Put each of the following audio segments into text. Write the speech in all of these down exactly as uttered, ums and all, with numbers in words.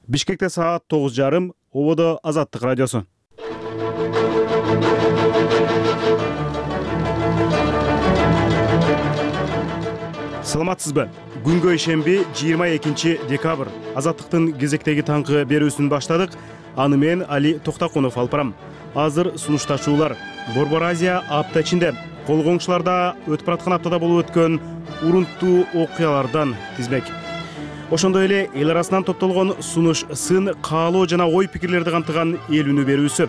Бишкекте саат тогуз жарым, ободо Азаттык радиосу. Саламатсызбы? Күнгө ишемби жыйырма экинчи декабрь. Азаттыктын кезектеги таңкы берүүсүн баштадык. Аны мен Али Токтакунов алып барам. Азыр сунушташуулар. Борбор Азия апта ичинде колгоңчуларда өтүп бараткан аптада болуп өткөн урунттуу окуялардан тизмек. Ошондой эле эл арасынан топтолгон сунуш, сын, каалоо жана ой пикирлерди камтыган эл үнү берүүсү.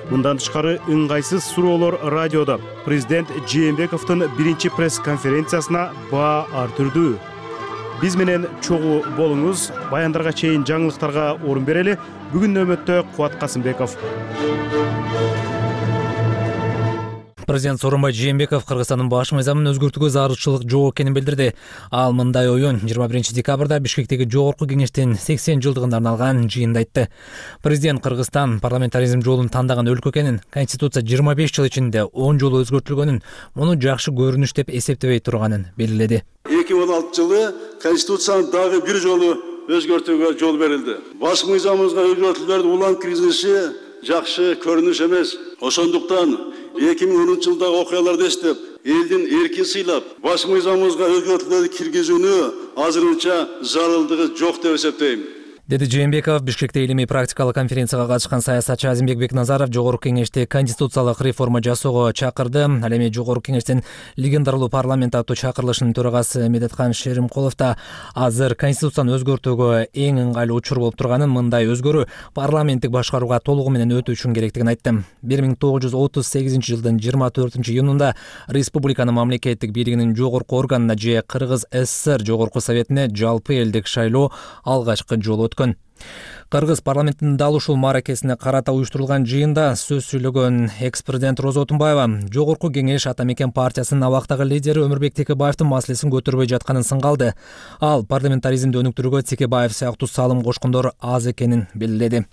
Мындан тышкары ыңгайсыз суроолор радиодо. Президент Жээнбековдун биринчи пресс-конференциясына баа артырдуу. Биз менен чогуу болуңуз. Баяндарга чейин жаңылыктарга орун берели. Бүгүн нөмөттө Кубат Касымбеков. Президент Сооронбай Жээнбеков Кыргызстандын баш мыйзамын өзгөртүүгө зарылчылык жок экенин билдирди. Ал мындай оюн жыйырма биринчи декабрда Бишкектеги жогорку кеңештин сексен жылдыгына арналган жыйында айтты. Президент Кыргызстан парламентаризм жолун тандаган өлкө экенин, Конституция жыйырма беш жыл ичинде он жолу өзгөртүлгөнүн, муну жакшы көрүнүш деп эсептебей турганын белгиледи. эки миң он алтынчы жылы Конституцияны дагы бир жолу өзгөртүүгө жол берилди. Баш мыйзамыбызга өзгөртүүлөрдүн улам киргизилиши жакшы көрүнүш эмес. Ошондуктан эки миң онунчу жылдагы окуяларды эстеп, элдин эркин сыйлап, баш мыйзамыбызга өзгөртүүлөрдү киргизүүнү азырынча зарылдыгы жок деп эсептейм, деди Жээнбеков. Бишкекте илимий практикалык конференцияга катышкан саясатчы Азимбек Бекназаров жогорку кеңешти конституциялык реформа жасоого чакырды. Ал эми жогорку кеңештин легендарлуу парламент аттуу чакырылышынын төрагасы Медеткан Шеримкулов да азыр конституцияны өзгөртүүгө эң ыңгайлуу учур болуп турганын, мындай өзгөрүү парламенттик башкарууга толугу менен өтүү үчүн керектигин айтты. бир миң тогуз жүз отуз сегизинчи жылдын жыйырма төртүнчү июнунда республиканын мамлекеттик бийлигинин жогорку органына же Кыргыз ССР жогорку советине жалпы элдик шайлоо алгачкы жолу өткөн. Кыргыз парламентинин дал ушул мааракесине карата уюштурулган жыйында сөз сүйлөгөн экс-президент Роза Отунбаева жогорку кеңеш ата мекен партиясынын абактагы лидери Өмүрбек Текебаевдин маселесин көтөрбөй жатканын сыңгалды. Ал парламентаризмди өнүктүрүүгө Текебаев сыяктуу салым кошкондор аз экенин белгиледи.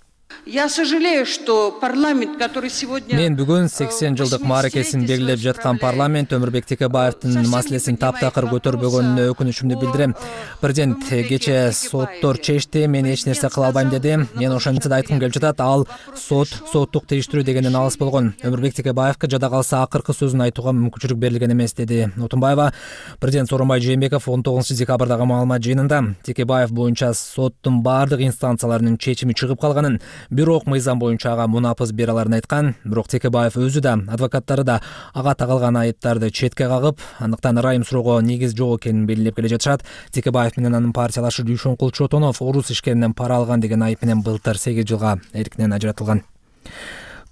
Я сожалею, что парламент, который сегодня... Мен бүгүн сексен жылдык мааракесин белгилеп жаткан парламент Өмүрбек Текебаевдин маселесин таптакыр көтөрбөгөнүнө өкүнүчүмдү билдирем. Президент кечээ соттор чечти, мен эч нерсе кыла албайм деди. Мен ошентсе да айткым келип жатат, ал сот, соттук териштирүү дегенден алыс болгон. Өмүрбек Текебаевга жада калса акыркы сөзүн айтууга мүмкүнчүлүк берилген эмес, деди Отунбаева. Президент Сооронбай Жээнбеков он тогузунчу декабрдагы маалымат жыйынында Текебаев боюнча соттун бардык инстанцияларынын чечими чыгып калганын, бирок мыйзам боюнча ага мунапыз бере аларын айткан. Бирок Текебаев өзү да, адвокаттары да ага тагылган айыптарды четке кагып, андыктан ырайым суроого негиз жок экенин белгилеп келе жатышат. Текебаев менен анын партиялашы Дүйшөнкул Чотонов орус ишкеринен пара алган деген айып менен былтыр сегиз жылга эркинен ажыратылган.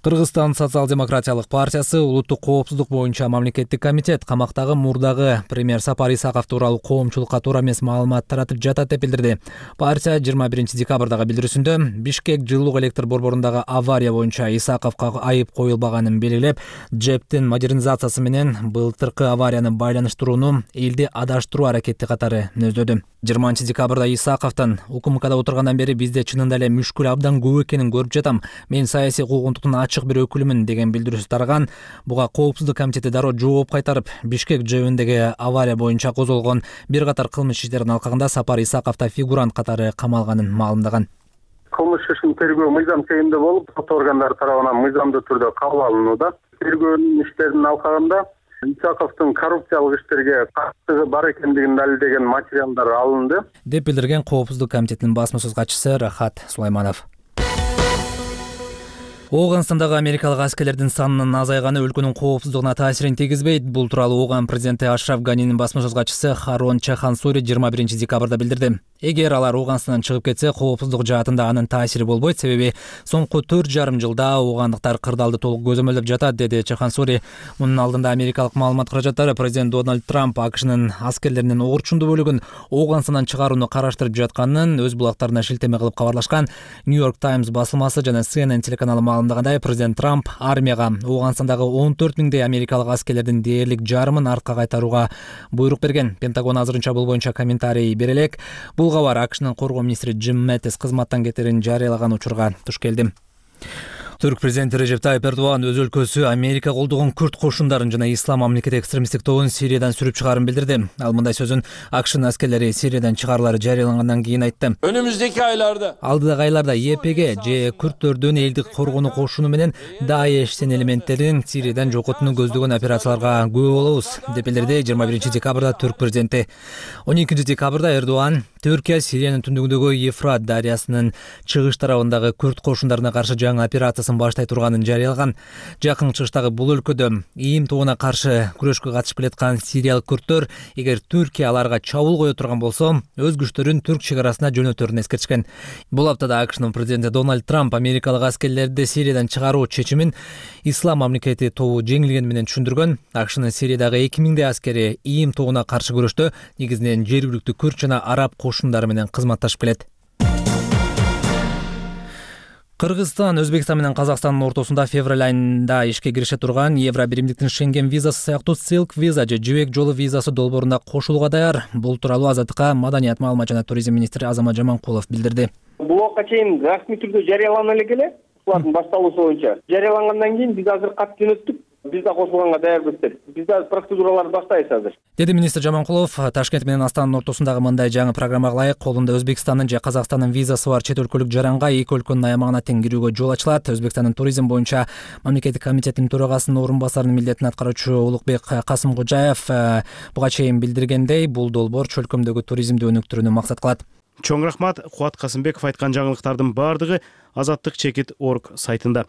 Кыргызстан социал-демократиялык партиясы улуттук коопсуздук боюнча мамлекеттик комитет камактагы мурдагы премьер Сапар Исаков тууралуу коомчулукка туура эмес маалымат таратып жатат деп билдирди. Партия жыйырма биринчи декабрдагы билдирүүсүндө Бишкек жылуулук электр борборундагы авария боюнча Исаковго айып коюлбаганын белгилеп, ЖЭПтин модернизациясы менен былтыркы аварияны байланыштырууну элди адаштыруу аракети катары мүнөздөдү. жыйырманчы декабрда Исаковдон укмкда отургандан бери бизде чынында эле мүшкүл абдан көп экенин көрүп жатам. Мен саясий куугунтуктун ачык бир өкүлүмүн деген билдирүүсү тараган. Буга коопсуздук комитети дароо жооп кайтарып, Бишкек ЖЭБиндеги авария боюнча козголгон бир катар кылмыш иштердин алкагында Сапар Исаков да фигурант катары камалганын маалымдаган. Кылмыш ишин тергөө мыйзам чегинде болуп, сот органдары тарабынан мыйзамдуу түрдө кабыл алынууда. Тергөө иштеринин алкагында Исаковдун коррупциялык иштерге катышыгы бар экендигин далилдеген материалдар алынды, деп билдирген коопсуздук комитетинин басма сөз катчысы Рахат Сулайманов. Ооганстандагы америкалык аскерлердин санынын азайганы өлкөнүн коопсуздугуна таасирин тийгизбейт. Бул тууралуу Ооган президенти Ашраф Ганинин басма сөз катчысы Харон Чахансури жыйырма биринчи декабрда билдирди. Эгер алар Ооганстандан чыгып кетсе, коопсуздук жаатында анын таасири болбойт, себеби соңку төрт жарым жылда оогандыктар кырдаалды толук көзөмөлдөп жатат, деди Чахансури. Мунун алдында америкалык маалымат каражаттары президент Дональд Трамп АКШнын аскерлеринин огурчундуу бөлүгүн Ооганстандан чыгарууну караштырып жатканын өз булактарына шилтеме кылып кабарлашкан. Нью-Йорк Таймс басылмасы жана Си Эн Эн телеканалы маалымдагандай, президент Трамп армияга Ооганстандагы он төрт миңдей америкалык аскерлердин дээрлик жарымын артка кайтарууга буйрук берген. Пентагон азырынча бул боюнча комментарий бере элек. Бул кабар АКШнын коргоо министри Джим Мэттис кызматтан кетерин жарыялаган учурга туш келди. Түрк президенти Режеп Тайып Эрдоган өз өлкөсү Америка колдогон күрд кошундарын жана ислам мамлекети экстремисттик тобун Сириядан сүрүп чыгаарын билдирди. Ал мындай сөзүн АКШнын аскерлери Сириядан чыгарылары жарыялангандан кийин айтты. Önümüzdeki aylarda Алдыдагы айларда Е Пе Ге же күрдтөрдүн элдик коргонуу кошуну менен Даешдин элементтерин Сириядан жокотууну көздөгөн операцияларга күбө болобуз, деп билдирди жыйырма биринчи декабрда Түрк президенти. он экинчи декабрда Эрдоган Түркия Сириянын түндүгүндөгү Ефрат дарыясынын чыгыш тарабындагы күрд кошундарына каршы жаңы операциясын баштай турганын жарыялаган. Жакын чыгыштагы бул өлкөдө ИИМ тобуна каршы күрөшкө катышып келаткан сириялык күрдтөр эгер Түркия аларга чабуул кое турган болсо, өз күчтөрүн Түрк чек арасына жөнөтөрүн эскертишкен. Бул аптада АКШнын президенти Дональд Трамп америкалык аскерлерди Сириядан чыгаруу чечимин ислам мамлекети тобу жеңилгени менен түшүндүргөн. АКШнын Сириядагы эки миңдей аскери ИИМ тобуна каршы күрөштө негизинен жергиликтүү күрд жана араб кошундары менен кызматташып келет. Кыргызстан Өзбекстан менен Казакстандын ортосунда февраль айында ишке кирише турган Евро биримдиктин Шенген визасы сыяктуу Silk виза же жибек жолу визасы долбоорунда кошулууга даяр. Бул тууралуу Азаттыкка маданият, маалымат жана туризм министри Азамат Жаманкулов билдирди. Бул убакка чейин расмий түрдө жарыялана элек эле, булардын башталуусу боюнча. Жарыялангандан кийин биз азыр кат жөнөттүк. Биз да кошулганга даярбыз деп. Биз да процедураларды баштайбыз азыр. Деди министр Жаманкулов. Ташкент менен Астананын ортосундагы мындай жаңы программага ылайык колунда Өзбекстандын же Казакстандын визасы бар чет өлкөлүк жаранга эки өлкөнүн аймагына тең кирүүгө жол ачылат. Өзбекстандын туризм боюнча мамлекеттик комитетинин төрагасынын орун басарынын милдетин аткаруучу Улукбек Касымкожаев буга чейин билдиргендей, бул долбоор чөлкөмдөгү туризмди өнүктүрүүнү максат кылат. Чоң рахмат. Кубат Касымбеков айткан жаңылыктардын баардыгы азаттык чекит точка орг сайтында.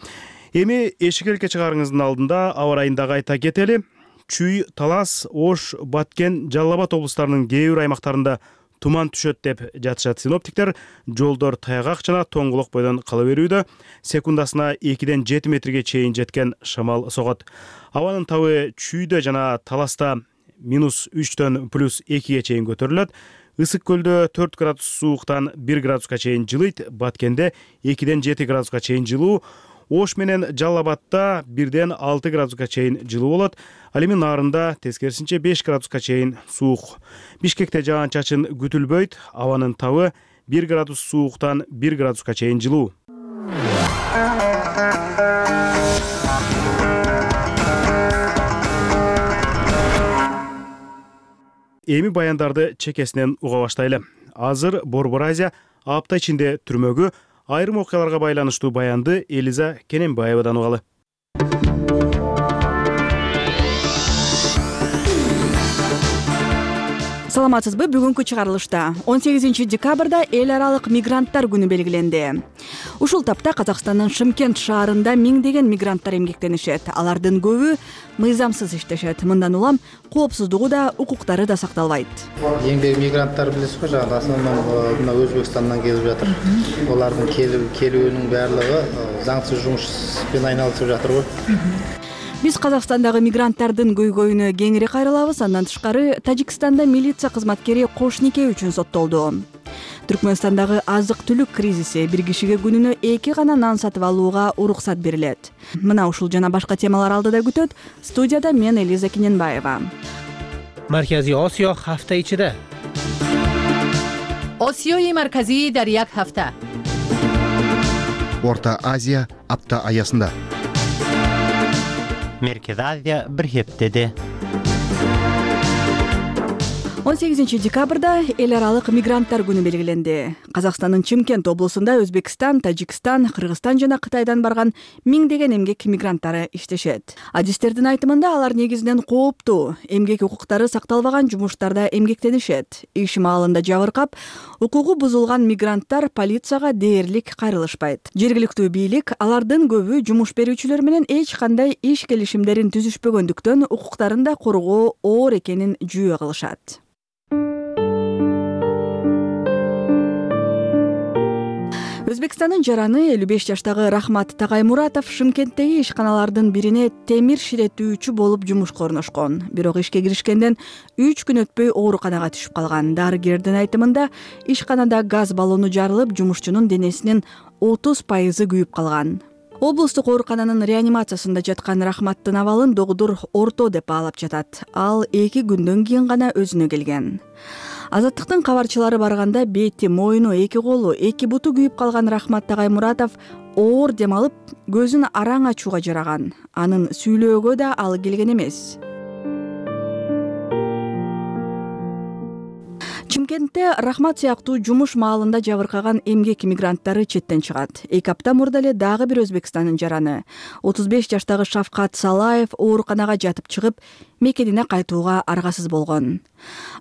Эми эшик элке чыгарыңыздын алдында аба ырайындагы айта кетели. Чүй, Талас, Ош, Баткен, Жалал Абад облустарынын кээ бир аймактарында туман түшөт деп жатышат синоптиктер. Жолдор таягак жана тоңголок бойдон кала берүүдө. Секундасына экиден жети метрге чейин жеткен шамал согот. Абанын табы Чүйдө жана Таласта минус үчтөн плюс экиге чейин көтөрүлөт. Ысык көлдө төрт градус сууктан бир градуска чейин жылыйт. Баткенде экиден жети градуска чейин жылуу. Ош менен Жалал Абадта бирден алты градуска чейин жылуу болот. Ал эми Нарында тескерисинче беш градуска чейин суук. Бишкекте жаан-чачын күтүлбөйт. Абанын табы бир градус сууктан бир градуска чейин жылуу. Эми баяндарды чекесинен уга баштайлы. Азыр Борбор Азия апта ичинде түрмөгү. Айрым окуяларга байланыштуу баянды Элиза Кененбаевадан угалы. Саламатсызбы? Бүгүнкү чыгарылышта он сегизинчи декабрда эл аралык мигранттар күнү белгиленди. Ушул тапта Казакстандын Шымкент шаарында миңдеген мигранттар эмгектенишет. Алардын көбү мыйзамсыз иштешет. Мындан улам коопсуздугу да, укуктары да сакталбайт. Эмгек мигранттар билесиз го, жана основном мына Өзбекстандан келип жатыр. Олардын келүүнүн баардыгы заңсыз жумуш менен айналышып жатыр го. Биз Казакстандагы мигранттардын көйгөйүнө кеңири кайрылабыз. Андан тышкары Тажикстанда милиция кызматкери кош нике үчүн соттолду. Түркмөнстандагы азык-түлүк кризиси, бир кишиге күнүнө эки гана нан сатып алууга уруксат берилет. Мына ушул жана башка темалар алдыда күтөт. Студияда мен Элиза Кененбаева. Маркази Осиё ҳафта ичида. Осиёи марказӣ дар як ҳафта. Орта Азия апта аясында. Merkez Азия bir heftede. он сегизинчи декабрда эл аралык мигранттар күнү белгиленди. Казакстандын Чымкент облусунда Өзбекстан, Тажикстан, Кыргызстан жана Кытайдан барган миңдеген эмгек мигранттары иштешет. Адистердин айтымында алар негизинен кооптуу, эмгек укуктары сакталбаган жумуштарда эмгектенишет. Иш маалында жабыркап, укугу бузулган мигранттар полицияга дээрлик кайрылышпайт. Жергиликтүү бийлик алардын көбү жумуш берүүчүлөр менен эч кандай иш келишимдерин түзүшпөгөндүктөн укуктарын да коргоо оор экенин жүйө кылышат. Өзбекстандын жараны элүү беш жаштагы Рахмат Тагаймуратов Шымкенттеги ишканалардын бирине темир ширетүүчү болуп жумушка орношкон. Бирок ишке киришкенден үч күн өтпөй ооруканага түшүп калган. Дарыгердин айтымында ишканада газ баллону жарылып, жумушчунун денесинин отуз пайызы күйүп калган. Облустук оорукананын реанимациясында жаткан Рахматтын абалын догдур орто деп баалап жатат. Ал эки күндөн кийин гана өзүнө келген. Азаттыктын кабарчылары барганда бети, мойну, эки колу, эки буту күйүп калган Рахмат Тагаймуратов оор дем алып көзүн араң ачууга жараган. Анын сүйлөөгө да ал келген эмес. Чымкентте Рахмат сыяктуу жумуш маалында жабыркаган эмгек мигранттары четтен чыгат. Эки апта мурда эле дагы бир Өзбекстандын жараны отуз беш жаштагы Шавкат Салаев ооруканага жатып чыгып, мекенине кайтууга аргасыз болгон.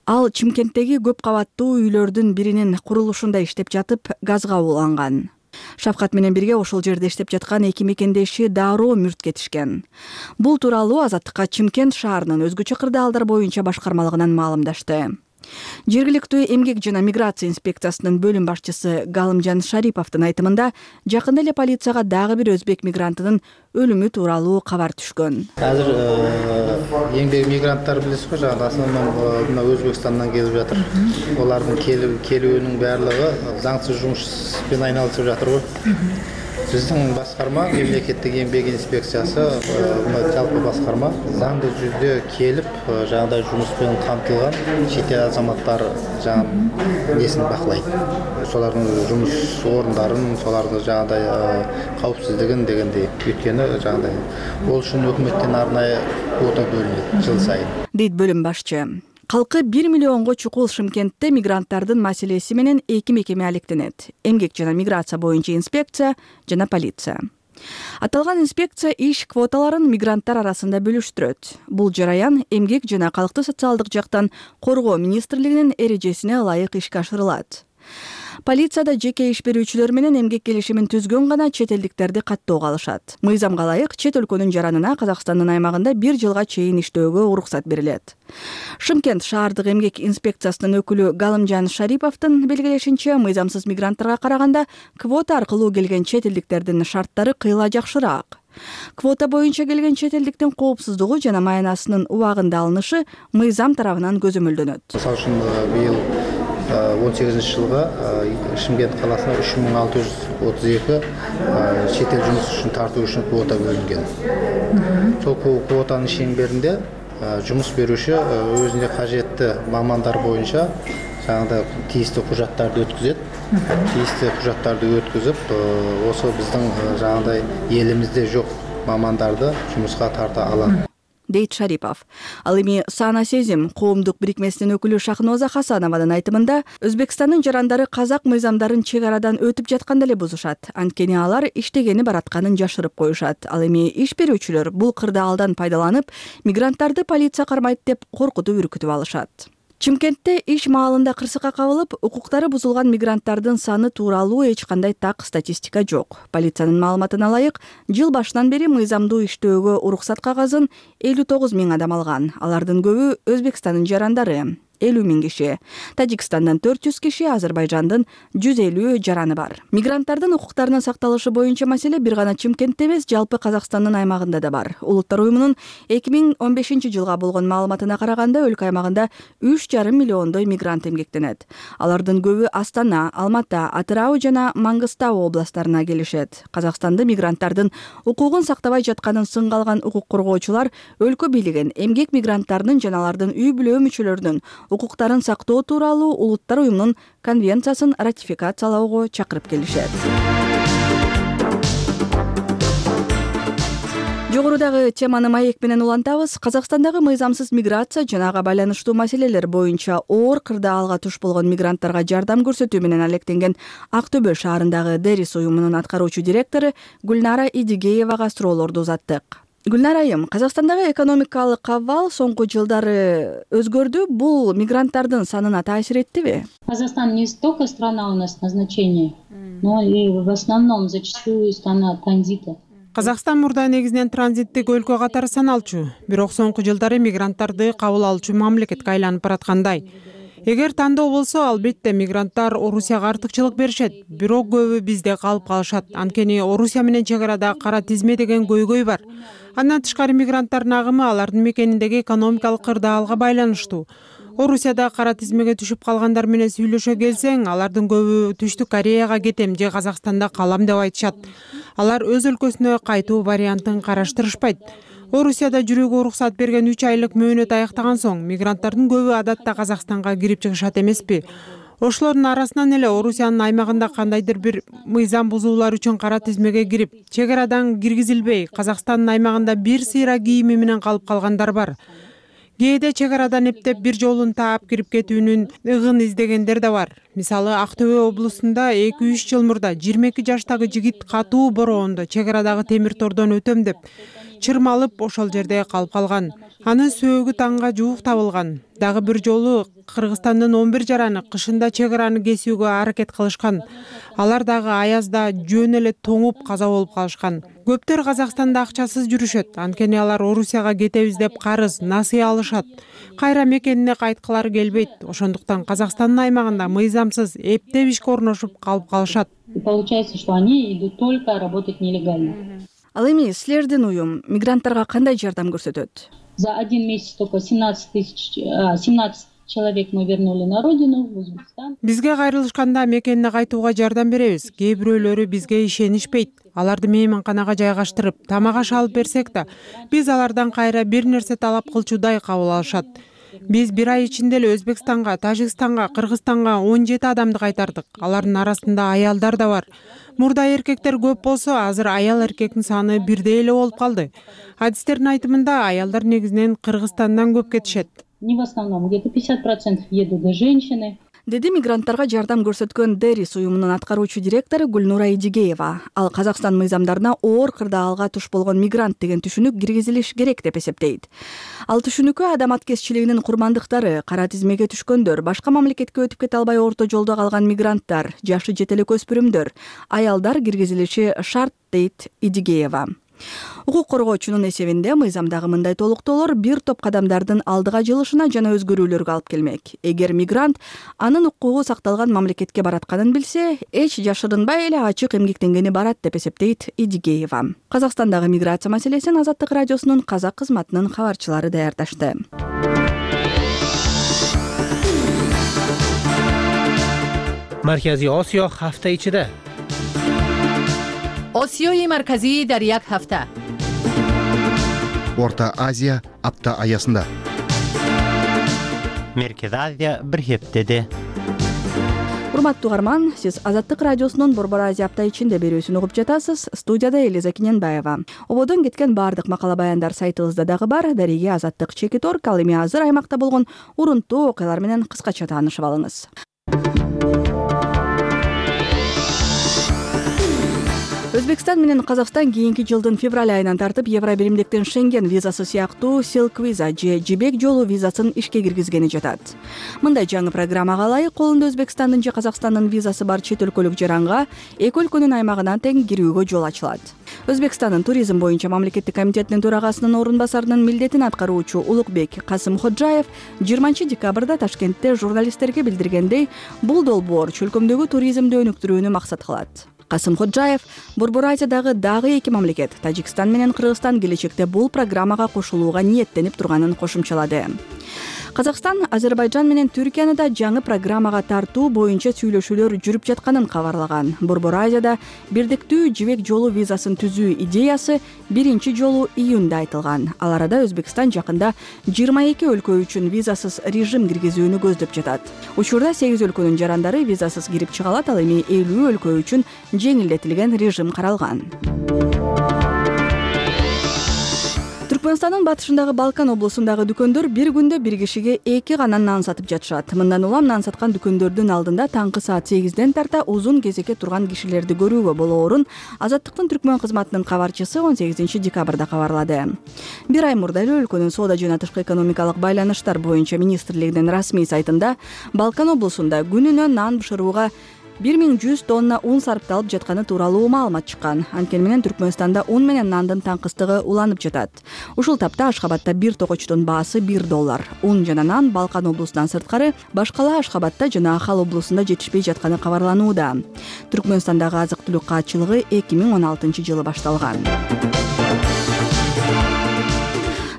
Ал Чымкенттеги көп кабаттуу үйлөрдүн биринин курулушунда иштеп жатып, газга уланган. Шавкат менен бирге ошол жерде иштеп жаткан эки мекендеши дароо мүрт кетишкен. Бул тууралуу Азаттыкка Чымкент шаарынын өзгөчө кырдаалдар боюнча башкармалыгынан маалымдашты. Жергиликтүү эмгек жана миграция инспекциясынын бөлүм башчысы Галымжан Шариповдун айтымында, жакында эле полицияга дагы бир өзбек мигрантынын өлүмү тууралуу кабар түшкөн. Азыр эмгек мигранттар билесиз го, жана основном мына Өзбекстандан келип жатыр. Олардын келүүнүн баардыгы заңсыз жумушпен айналышып жатыр го. Биздин башкарма, мемлекеттик эмгек инспекциясы, мына жалпы башкарма заңдуу жүздө келип, жагдай жумуспен камтылган чет эл азаматтар жана несин бакылайт. Солардын жумуш орундарын, солардын жагдай каупсиздигин дегендей. Өткөнү жагдай ол үчүн өкмөттөн арнайы квота бөлүнөт жыл сайын. Дейт бөлүм башчы. Калкы бир миллионго чукул Шымкентте мигранттардын маселеси менен эки мекеме алектенет. Эмгек жана миграция боюнча инспекция жана полиция. Аталган инспекция иш квоталарын мигранттар арасында бөлүштүрөт. Бул жараян эмгек жана калкты социалдык жактан коргоо министрлигинин эрежесине ылайык ишке ашырылат. Полицияда жеке иш берүүчүлөр менен эмгек келишимин түзгөн гана чет элдиктерди каттоого алышат. Мыйзамга ылайык чет өлкөнүн жаранына Казакстандын аймагында бир жылга чейин иштөөгө уруксат берилет. Шымкент шаардык эмгек инспекциясынын өкүлү Галымжан Шариповдун белгилешинче, мыйзамсыз мигранттарга караганда квота аркылуу келген чет элдиктердин шарттары кыйла жакшыраак. Квота боюнча келген чет элдиктин коопсуздугу жана маянасынын убагында алынышы мыйзам тарабынан көзөмөлдөнөт. Мисалы үчүн быйыл он сегизинчи жылга Шымкент каласына үч миң алты жүз отуз эки чет эл жумуш үчүн тартуу үчүн квота бөлүнгөн. Сол квотанын шеңберинде жумуш берүүчү өзүнө кажеттүү мамандар боюнча жагында тийиштүү кужаттарды өткүзөт. Тийиштүү кужаттарды өткүзүп, ошо биздин жагында элимизде жок мамандарды жумушка тарта алат. Дейт Шарипов. Ал эми Сана сезим коомдук бирикмесинин өкүлү Шахноза Хасанованын айтымында, Өзбекстандын жарандары казак мыйзамдарын чек арадан өтүп жатканда эле бузушат. Анткени алар иштегени баратканын жашырып коюшат. Ал эми иш берүүчүлөр бул кырдаалдан пайдаланып, мигранттарды полиция кармайт деп коркутуп үркүтүп алышат. Чымкентте иш маалында кырсыкка кабылып, укуктары бузулган мигранттардын саны тууралуу эч кандай так статистика жок. Полициянын маалыматына ылайык, жыл башынан бери мыйзамдуу иштөөгө уруксат кагазын элүү тогуз миң адам алган. Алардын көбү Өзбекстандын жарандары. элүү миң киши. Тажикстандан төрт жүз киши, Азербайжандын жүз элүү жараны бар. Мигранттардын укуктарынын сакталышы боюнча маселе бир гана Чымкентте эмес, жалпы Казакстандын аймагында да бар. Улуттар уюмунун эки миң он бешинчи жылга болгон маалыматына караганда, өлкө аймагында үч жарым миллиондой мигрант эмгектенет. Алардын көбү Астана, Алматы, Атырау жана Маңгыстау областарына келишет. Казакстанда мигранттардын укугун сактабай жатканын сынга алган укук коргоочулар өлкө бийлигин эмгек мигранттарынын жана алардын үй бүлө мүчөлөрүнүн укуктарын сактоо тууралуу Улуттар уюмунун конвенциясын ратификациялоого чакырып келишет. Жогорудагы теманы маек менен улантабыз. Казакстандагы мыйзамсыз миграция жана ага байланыштуу маселелер боюнча оор кырдаалга туш болгон мигранттарга жардам көрсөтүү менен алектенген Ак Төбө шаарындагы Дерис уюмунун аткаруучу директору Гүлнара Идигеевага суроолорду узаттык. Гүлнара айым, Казакстандагы экономикалык абал соңку жылдары өзгөрдү. Бул мигранттардын санына таасир эттиби? Казахстан не столько страна у нас назначения, но и в основном зачастую страна транзита. Казакстан мурда негизинен транзиттик өлкө катары саналчу, бирок соңку жылдары мигранттарды кабыл алуучу мамлекетке айланып бараткандай. Эгер тандоо болсо, албетте мигранттар Орусияга артыкчылык беришет, бирок көбү бизде калып калышат. Анткени Орусия менен чек арада кара тизме деген көйгөй бар. Андан тышкары мигранттардын агымы алардын мекениндеги экономикалык кырдаалга байланыштуу. Орусияда кара тизмеге түшүп калгандар менен сүйлөшө келсең, алардын көбү Түштүк Кореяга кетем же Казакстанда калам деп айтышат. Алар өз өлкөсүнө кайтуу вариантын караштырышпайт. Орусияда жүрүүгө уруксат берген үч айлык мөөнөт аяктаган соң, мигранттардын көбү адатта Казакстанга кирип чыгышат эмеспи? Ошолордун арасынан эле Орусиянын аймагында кандайдыр бир мыйзам бузуулар үчүн кара тизмеге кирип, чек арадан киргизилбей, Казакстандын аймагында бир сыйра кийими менен калып калгандар бар. Кээде чек арадан эптеп бир жолун таап кирип кетүүнүн ыгын издегендер да бар. Мисалы, Актөбө облусунда эки үч жыл мурда жыйырма эки жаштагы жигит катуу бороондо чек арадагы темир тордон өтөм деп чырмалып ошол жерде калып калган. Анын сөөгү таңга жуук табылган. Дагы бир жолу Кыргызстандын он бир жараны кышында чек араны кесүүгө аракет кылышкан. Алар дагы аязда жөн эле тоңуп каза болуп калышкан. Көптөр Казакстанда акчасыз жүрүшөт. Анткени алар Орусияга кетебиз деп карыз, насыя алышат. Кайра мекенине кайткылары келбейт. Ошондуктан Казакстандын аймагында мыйзамсыз эптеп ишке орношуп калып калышат. Получается, что они идут только работать нелегально. Ал эми силердин уюм мигранттарга кандай жардам көрсөтөт? За один месяц только семнадцать тысяч, семнадцать человек мы вернули на родину, в Узбекистан. Бизге кайрылышканда мекенине кайтууга жардам беребиз. Кээ бирөөлөрү бизге ишенишпейт. Аларды мейманканага жайгаштырып, тамак аш алып берсек да, биз алардан кайра бир нерсе талап кылчудай кабыл алышат. Биз бир ай ичинде эле Өзбекстанга, Тажикстанга, Кыргызстанга он жети адамды кайтардык. Алардын арасында аялдар да бар. Мурда эркектер көп болсо, азыр аял эркектин саны бирдей эле болуп калды. Адистердин айтымында аялдар негизинен Кыргызстандан көп кетишет. Не в основном, где-то пятьдесят процентов едут женщины. Деди мигранттарга жардам көрсөткөн Дерис уюмунун аткаруучу директору Гүлнура Идигеева. Ал Казакстан мыйзамдарына оор кырдаалга туш болгон мигрант деген түшүнүк киргизилиш керек деп эсептейт. Ал түшүнүккө адам аткезчилигинин курмандыктары, кара тизмеге түшкөндөр, башка мамлекетке өтүп кете албай орто жолдо калган мигранттар, жашы жете элек өспүрүмдөр, аялдар киргизилиши шарт, дейт Идигеева. Укук коргоочунун эсебинде мыйзамдагы мындай толуктоолор бир топ кадамдардын алдыга жылышына жана өзгөрүүлөргө алып келмек. Эгер мигрант анын укугу сакталган мамлекетке баратканын билсе, эч жашырынбай эле ачык эмгектенгени барат деп эсептейт Идигеева. Казакстандагы миграция маселесин Азаттык радиосунун казак кызматынын кабарчылары даярдашты. Марказий Осиё ҳафта ичиде. Осиёи марказӣ дар як ҳафта. Орта Азия апта аясында. Меркези Азия бир хептеде. Урматтуу угарман, сиз Азаттык радиосунун Борбор Азия апта ичинде берүүсүн угуп жатасыз. Студияда Элиза Киненбаева. Ободон кеткен баардык макала баяндар сайтыбызда дагы бар. Дареге Азаттык чекит орг. Ал эми азыр аймакта болгон урунттуу окуялар менен кыскача таанышып алыңыз. Өзбекстан менен Казакстан кийинки жылдын февраль айынан тартып Евро биримдиктин Шенген визасы сыяктуу Silk Visa же жибек жолу визасын ишке киргизгени жатат. Мындай жаңы программага ылайык колунда Өзбекстандын же Казакстандын визасы бар чет өлкөлүк жаранга эки өлкөнүн аймагына тең кирүүгө жол ачылат. Өзбекстандын туризм боюнча мамлекеттик комитетинин төрагасынын орун басарынын милдетин аткаруучу Улукбек Касым Ходжаев жыйырманчы декабрда Ташкентте журналисттерге билдиргендей, бул долбоор чөлкөмдөгү туризмди өнүктүрүүнү максат кылат. Касым Ходжаев Борбор Азиядагы дагы эки мамлекет, Тажикстан менен Кыргызстан келечекте бул программага кошулууга ниеттенип турганын кошумчалады. Казакстан Азербайжан менен Түркияны да жаңы программага тартуу боюнча сүйлөшүүлөр жүрүп жатканын кабарлаган. Борбор Азияда бирдиктүү жибек жолу визасын түзүү идеясы биринчи жолу июнда айтылган. Ал арада Өзбекстан жакында жыйырма эки өлкө үчүн визасыз режим киргизүүнү көздөп жатат. Учурда сегиз өлкөнүн жарандары визасыз кирип чыга алат, ал эми элүү өлкө үчүн жеңилдетилген режим каралган. Түркмөнстандын батышындагы Балкан облусундагы дүкөндөр бир күндө бир кишиге эки гана нан сатып жатышат. Мындан улам нан саткан дүкөндөрдүн алдында таңкы саат сегизден тарта узун кезекке турган кишилерди көрүүгө болоорун Азаттыктын Түркмөн кызматынын кабарчысы он сегизинчи декабрда кабарлады. Бир ай мурда эле өлкөнүн соода жана тышкы экономикалык байланыштар боюнча министрлигинин расмий сайтында Балкан облусунда күнүнө нан бышырууга бир миң жүз тонна ун сарпталып жатканы тууралуу маалымат чыккан. Анткени менен Түркмөнстанда ун менен нандын таңкыстыгы уланып жатат. Ушул тапта Ашхабадта бир токочтун баасы бир доллар. Ун жана нан Балкан облусунан сырткары башкала Ашхабадта жана Ахал облусунда жетишпей жатканы кабарланууда. Түркмөнстандагы азык-түлүк каатчылыгы эки миң он алтынчы жылы башталган.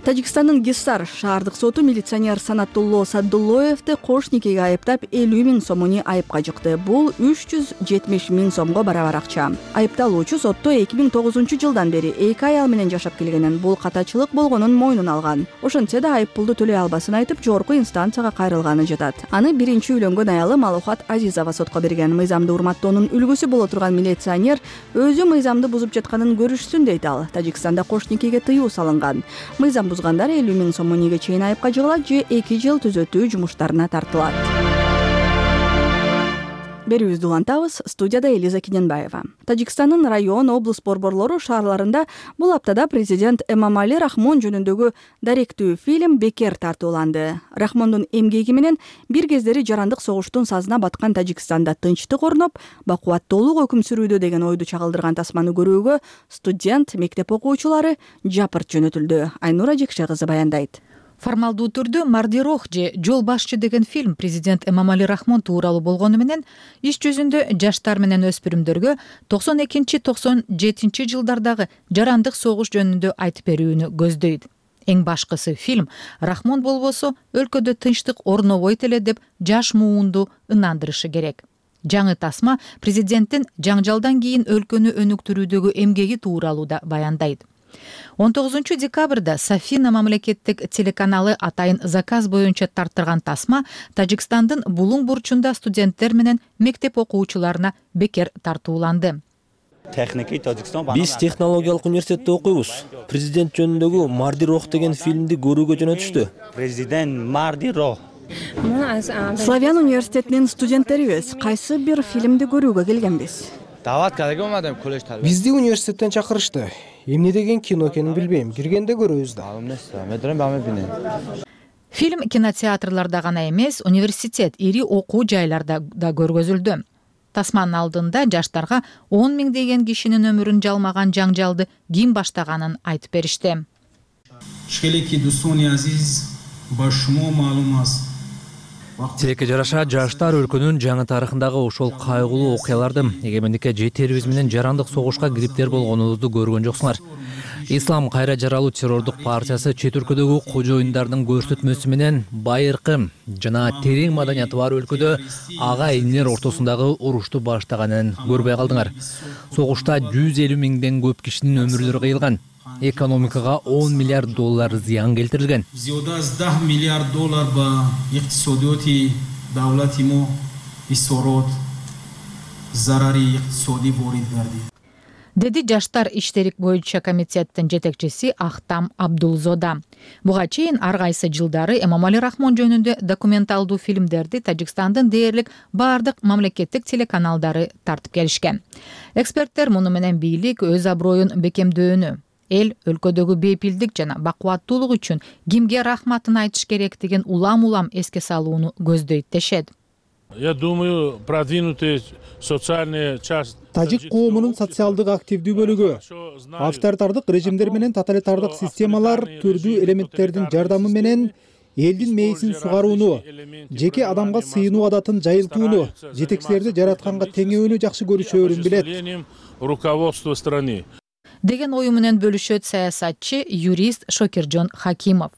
Тажикстандын Гиссар шаардык соту милиционер Санатулло Саддуллоевди кош никеге айыптап элүү миң сомуни айыпка жыкты. Бул үч жүз жетимиш миң сомго барабар акча. Айыпталуучу сотто эки миң тогузунчу жылдан бери эки аял менен жашап келгенин, бул катачылык болгонун мойнуна алган. Ошентсе да айып пулду төлөй албасын айтып, жогорку инстанцияга кайрылганы жатат. Аны биринчи үйлөнгөн аялы Малухат Азизова сотко берген. Мыйзамды урматтоонун үлгүсү боло турган милиционер өзү мыйзамды бузуп жатканын көрүшсүн дейт ал. Тажикстанда кош никеге тыюу салынган. Мыйзам бузгандар элүү миң сомуниге чейин айыпка жыгылат же эки жыл түзөтүү жумуштарына тартылат. Берүүбүздү улантабыз. Студияда Элиза Кененбаева. Тажикстандын район, облус борборлору шаарларында бул аптада президент Эмомали Рахмон жөнүндөгү даректүү фильм бекер тартууланды. Рахмондун эмгеги менен бир кездери жарандык согуштун сазына баткан Тажикстанда тынчтык орноп, бакубаттуулук өкүм сүрүүдө деген ойду чагылдырган тасманы көрүүгө студент, мектеп окуучулары жапырт жөнөтүлдү. Айнура Жекше кызы баяндайт. Формалдуу түрдө Мардирох же Жол башчы деген фильм президент Эмомали Рахмон тууралуу болгону менен иш жүзүндө жаштар менен өспүрүмдөргө токсон экинчи токсон жетинчи жылдардагы жарандык согуш жөнүндө айтып берүүнү көздөйт. Эң башкысы фильм Рахмон болбосо өлкөдө тынчтык орнобойт эле деп жаш муунду ынандырышы керек. Жаңы тасма президенттин жаңжалдан кийин өлкөнү өнүктүрүүдөгү эмгеги тууралуу да баяндайт. он тогузунчу декабрда Сафина мамлекеттик телеканалы атайын заказ боюнча тарттырган тасма Тажикстандын Булуң бурчунда студенттер менен мектеп окуучуларына бекер тартууланды. Биз технологиялык университетте окуйбуз. Президент жөнүндөгү Мардирох деген фильмди көрүүгө жөнөтүштү. Президент Мардирох. Славян университетинин студенттерибиз кайсы бир фильмди көрүүгө келгенбиз. Бизди университеттен чакырышты. Эмне деген кино экенин билбейм. Киргенде көрөбүз да. Фильм кинотеатрларда гана эмес, университет, ири окуу жайларда да көргөзүлдү. Тасманын алдында жаштарга он миң деген кишинин өмүрүн жалмаган жаңжалды ким баштаганын айтып беришти. Тилекке жараша жаштар өлкөнүн жаңы тарыхындагы ошол кайгылуу окуяларды, эгемендикке жетерибиз менен жарандык согушка кириптер болгонубузду көргөн жоксуңар. Ислам кайра жаралуу террордук партиясы чет өлкөдөгү кожоюндардын көрсөтмөсү менен байыркы жана терең маданияты бар өлкөдө ага инилер ортосундагы урушту баштаганын көрбөй калдыңар. Согушта жүз элүү миңден көп кишинин өмүрлөрү кыйылган. Экономикага он миллиард доллар зыян келтирилген. миллиард доллар ба иктисодиёти давлати мо исорот зарари иктисодӣ ворид гардид. Деди жаштар иштери боюнча комитеттин жетекчиси Ахтам Абдулзода. Буга чейин ар кайсы жылдары Эмомали Рахмон жөнүндө документалдуу фильмдерди Тажикстандын дээрлик бардык мамлекеттик телеканалдары тартып келишкен. Эксперттер муну менен бийлик өз аброюн бекемдөөнү, эл өлкөдөгү бейпилдик жана бакубаттуулук үчүн кимге рахматын айтыш керектигин улам-улам эске салууну көздөйт дешет. Я думаю, продвинутые социальные части Тажик коомунун социалдык активдүү бөлүгү авторитардык режимдер менен тоталитардык системалар түрдүү элементтердин жардамы менен элдин мээсин сугарууну, жеке адамга сыйынуу адатын жайылтууну, жетекчилерди жаратканга теңөөнү жакшы көрүшөөрүн билет. Руководство страны деген ою менен бөлүшөт саясатчы, юрист Шокиржон Хакимов.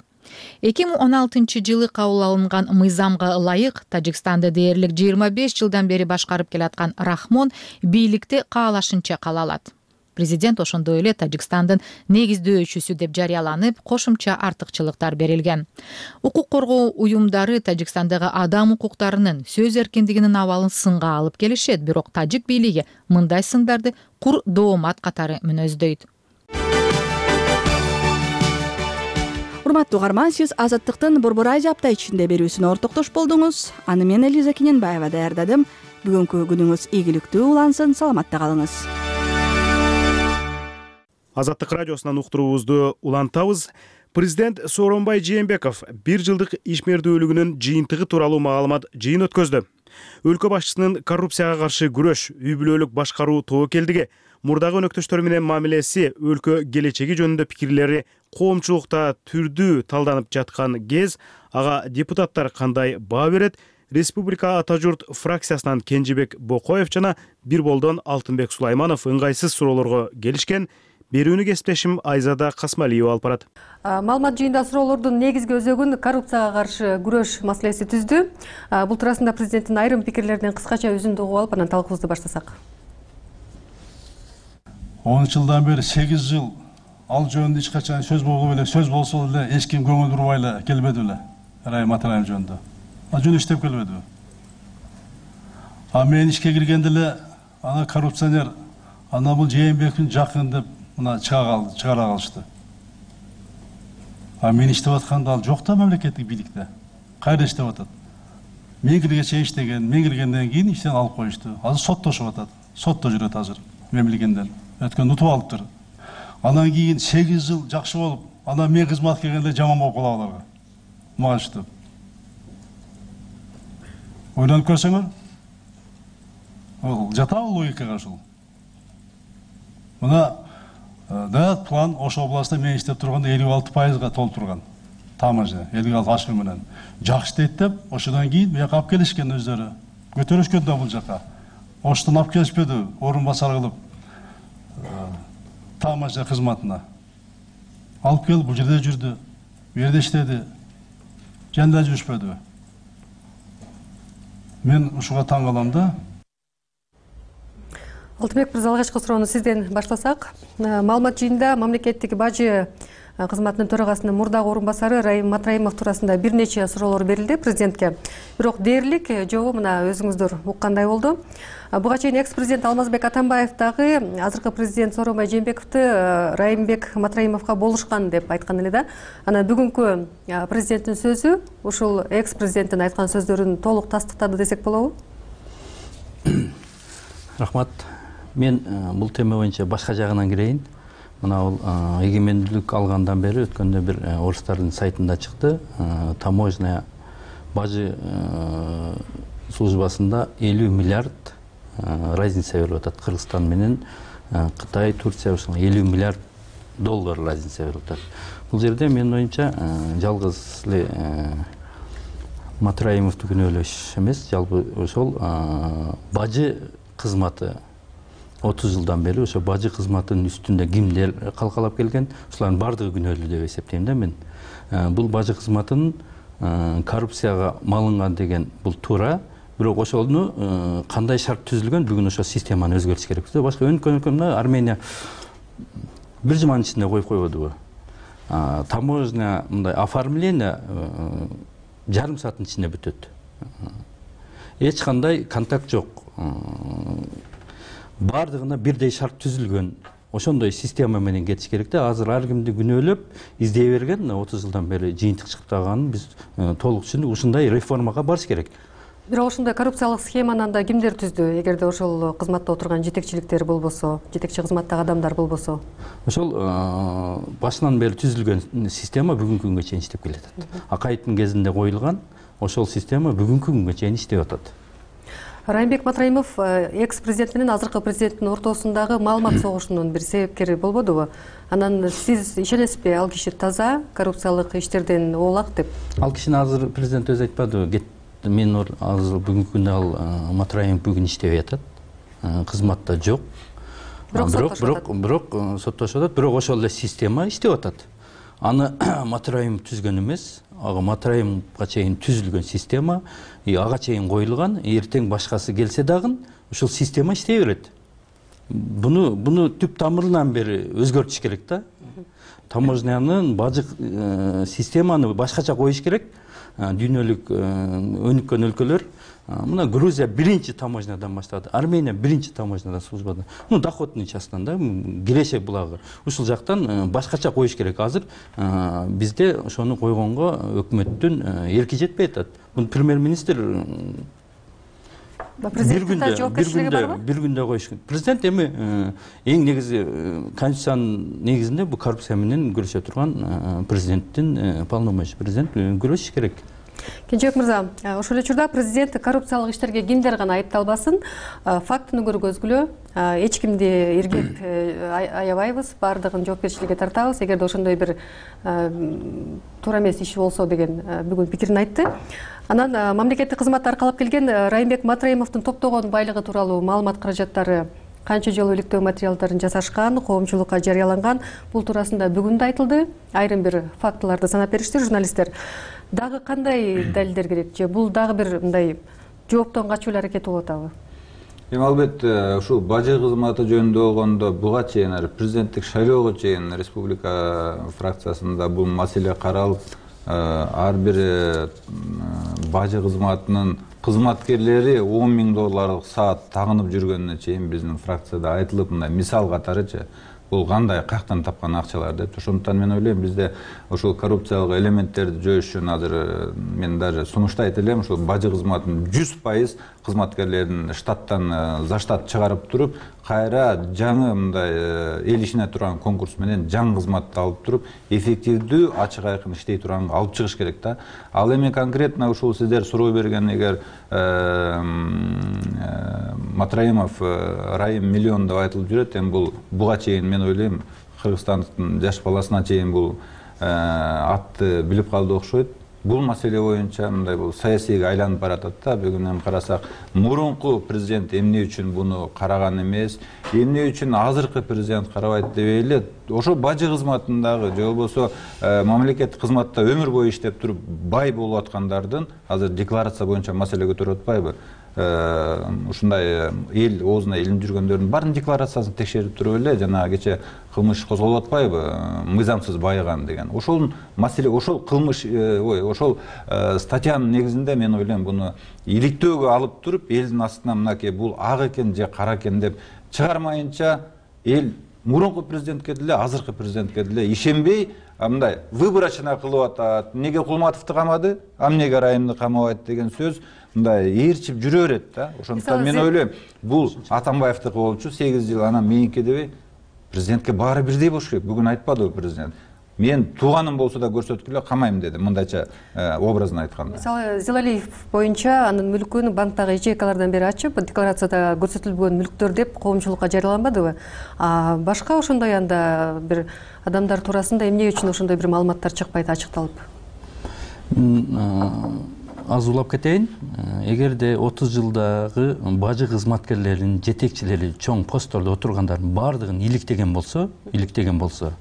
эки миң он алтынчы жылы кабыл алынган мыйзамга ылайык Тажикстанды дээрлик жыйырма беш жылдан бери башкарып келаткан Рахмон бийликте каалашынча кала алат. Президент ошондой эле Тажикстандын негиздөөчүсү деп жарыяланып, кошумча артыкчылыктар берилген. Укук коргоо уюмдары Тажикстандагы адам укуктарынын, сөз эркиндигинин абалын сынга алып келишет, бирок тажик бийлиги мындай сындарды кур доомат катары мүнөздөйт. Урматтуу угарман, сиз Азаттыктын Борбор Азия апта ичинде берүүсүнө ортоктош болдуңуз. Аны мен Элиза Кененбаева даярдадым. Бүгүнкү күнүңүз ийгиликтүү улансын, саламатта калыңыз. Азаттык радиосунан уктуруубузду улантабыз. Президент Сооронбай Жээнбеков бир жылдык ишмердүүлүгүнүн жыйынтыгы тууралуу маалымат жыйын өткөздү. Өлкө башчысынын коррупцияга каршы күрөш, үй бүлөлүк башкаруу тобокелдиги, мурдагы өнөктөштөр менен мамилеси, өлкө келечеги жөнүндө пикирлери коомчулукта түрдүү талданып жаткан кез, ага депутаттар кандай баа берет? Республика Ата журт фракциясынан Кенжебек Бокоев жана Бир болдон Алтынбек Сулайманов ыңгайсыз суроолорго келишкен. берүүнү кесиптешим Айзада Касмалиева алып барат. Маалымат жыйында суроолордун негизги өзөгүн коррупцияга каршы күрөш маселеси түздү. Бул туурасында президенттин айрым пикирлеринен кыскача үзүндү угуп алып, анан талкуубузду баштасак. он жылдан бери сегиз жыл ал жөнүндө эч качан сөз болгон эле, сөз болсо эле эч ким көңүл бурбай эле келбеди беле. Райым Матраев жөнүндө. Ал жөн иштеп келбеди. А мен ишке киргенде эле ана коррупционер, ана бул Жээнбековдун жакын деп мына чыга чыгара калышты. А мен иштеп атканда ал жок да мамлекеттик бийликте. Кайда иштеп атат? Мен киргенче иштеген, мен киргенден кийин иштен алып коюшту. Азыр соттошуп атат. Сотто жүрөт азыр. Мен билгенден. Өткөн утуп алыптыр. Анан кийин сегиз жыл жакшы болуп, анан мен кызмат келгенде жаман болуп калат аларга. Мага ойлонуп көрсөңөр, ол жатабы логикага ушул. Мына да план Ош областында мен иштеп турганда элүү алты пайызга толтурган. Таможня элүү алты ашкы менен. Жакшы дейт деп, ошодан кийин буяка алып келишкен өздөрү. Көтөрүшкөн да бул жака. Оштон алып келишпеди, орун басар кылып. Таможня кызматына. Алып келип бул жерде жүрдү. Бу жерде иштеди. Жанда жүрүшпөдү. Мен ушуга таң калам да. Алтынбек мырза, алгачкы суроону сизден баштасак. Маалымат жыйында мамлекеттик бажы кызматынын төрагасынын мурдагы орун басары Райым Матраимов туурасында бир нече суроолор берилди президентке. Бирок дээрлик жообу мына өзүңүздөр уккандай болду. Буга чейин экс-президент Алмазбек Атамбаев дагы азыркы президент Сооронбай Жээнбековду Райымбек Матраимовго болушкан деп айткан эле да. Анан бүгүнкү президенттин сөзү ушул экс-президенттин айткан сөздөрүн толук тастыктады десек болобу? Рахмат. Мен бул тема боюнча башка жагынан кирейин. Мына бул эгемендүүлүк алгандан бери өткөндө бир орустардын сайтында чыкты. Таможня бажы службасында элүү миллиард разница берип атат. Кыргызстан менен Кытай, Турция ушул элүү миллиард доллар разница берип атат. Бул жерде менин оюмча жалгыз эле Матраимовду күнөөлөш эмес, жалпы ошол бажы кызматы отуз жылдан бери ошо бажы кызматынын үстүндө кимдер калкалап келген, ушулардын баардыгы күнөөлүү деп эсептейм да мен. Бул бажы кызматынын коррупцияга малынган деген бул туура, бирок ошону кандай шарт түзүлгөн, бүгүн ошо системаны өзгөртүш керек. Башка өнкөн Армения бир жуманын ичинде коюп койбодубу? Таможня мындай оформление жарым сааттын ичинде бүтөт. Эч кандай контакт жок. Бардыгына бирдей шарт түзүлгөн. Ошондой система менен кетиш керек да. Азыр ар кимди күнөөлөп, издей берген, отуз жылдан бери жыйынтык чыгып калганын биз толук түшүндүк. Ушундай реформага барыш керек. Бирок ошондой коррупциялык схеманы анда кимдер түздү? Эгерде ошол кызматта отурган жетекчиликтер болбосо, жетекчи кызматтагы адамдар болбосо? Ошол башынан бери түзүлгөн система бүгүнкү күнгө чейин иштеп келатат. Акаевдин кезинде коюлган ошол система бүгүнкү күнгө чейин иштеп атат. Райымбек Матраимов экс-президент менен азыркы президенттин ортосундагы маалымат согушунун бир себепкери болбодубу? Анан сиз ишенесизби, ал киши таза, коррупциялык иштерден оолак деп? Ал кишини азыр президент өзү айтпадыбы? Мен азыр бүгүнкү күндө ал Матраимов бүгүн иштебей атат. Кызматта жок. Бирок бирок бирок соттошуп атат. Бирок ошол эле система иштеп атат. Аны Матраимов түзгөн эмес, ага Матраимовго чейин түзүлгөн система, ага чейин коюлган, эртең башкасы келсе дагы ушул система иштей берет. Буну буну түп тамырынан бери өзгөртүш керек да. Таможнянын бажы системаны башкача коюш керек. Дүйнөлүк өнүккөн өлкөлөр, мына Грузия биринчи таможнядан баштады, Армения биринчи таможнядан службада. Ну, доходный частынан да, Грешек булагы. Ушул жактан башкача коюш керек. Азыр бизде ошону койгонго өкмөттүн эрки жетпей атат. Бул премьер-министр бир күндө бир күндө бир күндө коюш. Президент эми эң негизи конституциянын негизинде бул коррупция менен күрөшө турган президенттин полномочия, президент күрөшүш керек. Кенжебек мырза, ошол эле учурда президент коррупциялык иштерге кимдер гана айыпталбасын, фактыны көргөзгүлө, эч кимди эргеп аябайбыз, баардыгын жоопкерчиликке тартабыз, эгерде ошондой бир туура эмес иш болсо деген бүгүн пикирин айтты. Анан мамлекеттик кызматты аркалап келген Райымбек Матраимовдун топтогон байлыгы тууралуу маалымат каражаттары канча жолу иликтөө материалдарын жасашкан, коомчулукка жарыяланган. Бул туурасында бүгүн да айтылды. Айрым бир фактыларды санап беришти журналисттер. Дагы кандай далилдер керек же бул дагы бир мындай жооптон качуу эле аракети болуп атабы? Эми албетте ушул бажы кызматы жөнүндө болгондо буга чейин президенттик шайлоого чейин республика фракциясында бул маселе каралып, ар бир бажы кызматынын кызматкерлери он миң долларлык саат тагынып жүргөнүнө чейин биздин фракцияда айтылып, мындай мисал катарычы бул кандай каяктан тапкан акчалар деп. Ошондуктан мен ойлойм бизде ошол коррупциялык элементтерди жоюш үчүн азыр мен даже сунуштайт элем, ошол бажы кызматынын жүз пайыз кызматкерлерин штаттан за штат чыгарып туруп, кайра жаңы мындай эл ишине турган конкурс менен жаңы кызматты алып туруп, эффективдүү, ачык айкын иштей турганга алып чыгыш керек да. Ал эми конкретно ушул сиздер суроо берген эгер Матраимов Райым миллион деп айтылып жүрөт, эми бул буга чейин мен ойлойм Кыргызстандын жаш баласына чейин бул атты билип калды окшойт. Бул маселе боюнча мындай бул саясийге айланып баратат да. Бүгүн эми карасак, мурунку президент эмне үчүн буну караган эмес, эмне үчүн азыркы президент карабайт деп эле ошо бажы кызматындагы же болбосо мамлекеттик кызматта өмүр бою иштеп туруп бай болуп аткандардын азыр декларация боюнча маселе көтөрүп атпайбы? Ушундай эл оозуна илинип жүргөндөрдүн баардын декларациясын текшерип туруп эле жана кече кылмыш козголуп атпайбы, мыйзамсыз байыган деген. Ошол маселе, ошол кылмыш, ой, ошол статьянын негизинде мен ойлойм буну иликтөөгө алып туруп, элдин астына мынакей бул ак экен же кара экен деп чыгармайынча эл мурунку президентке деле, азыркы президентке деле ишенбей, мындай выборочно кылып атат. Неге Кулматовду камады, а эмнеге Райымды камабайт деген сөз мындай ээрчип жүрө берет да. Ошондуктан мен ойлойм, бул Атамбаевдики болчу сегиз жыл, анан меники дебей, президентке баары бирдей болуш керек. Бүгүн айтпадыбы президент? Мен тууганым болсо да көрсөткүлө камайм деди, мындайча образын айтканда. Мисалы, Зилалиев боюнча анын мүлкүн банктагы ячейкалардан бери ачып, декларацияда көрсөтүлбөгөн мүлктөр деп коомчулукка жарыяланбадыбы? А башка ошондой анда бир адамдар туурасында эмне үчүн ошондой бир маалыматтар чыкпайт, ачыкталып? Аз улап кетейин. Эгерде отуз жылдагы бажы кызматкерлеринин жетекчилери чоң посттордо отургандардын баардыгын иликтеген болсо, иликтеген болсо,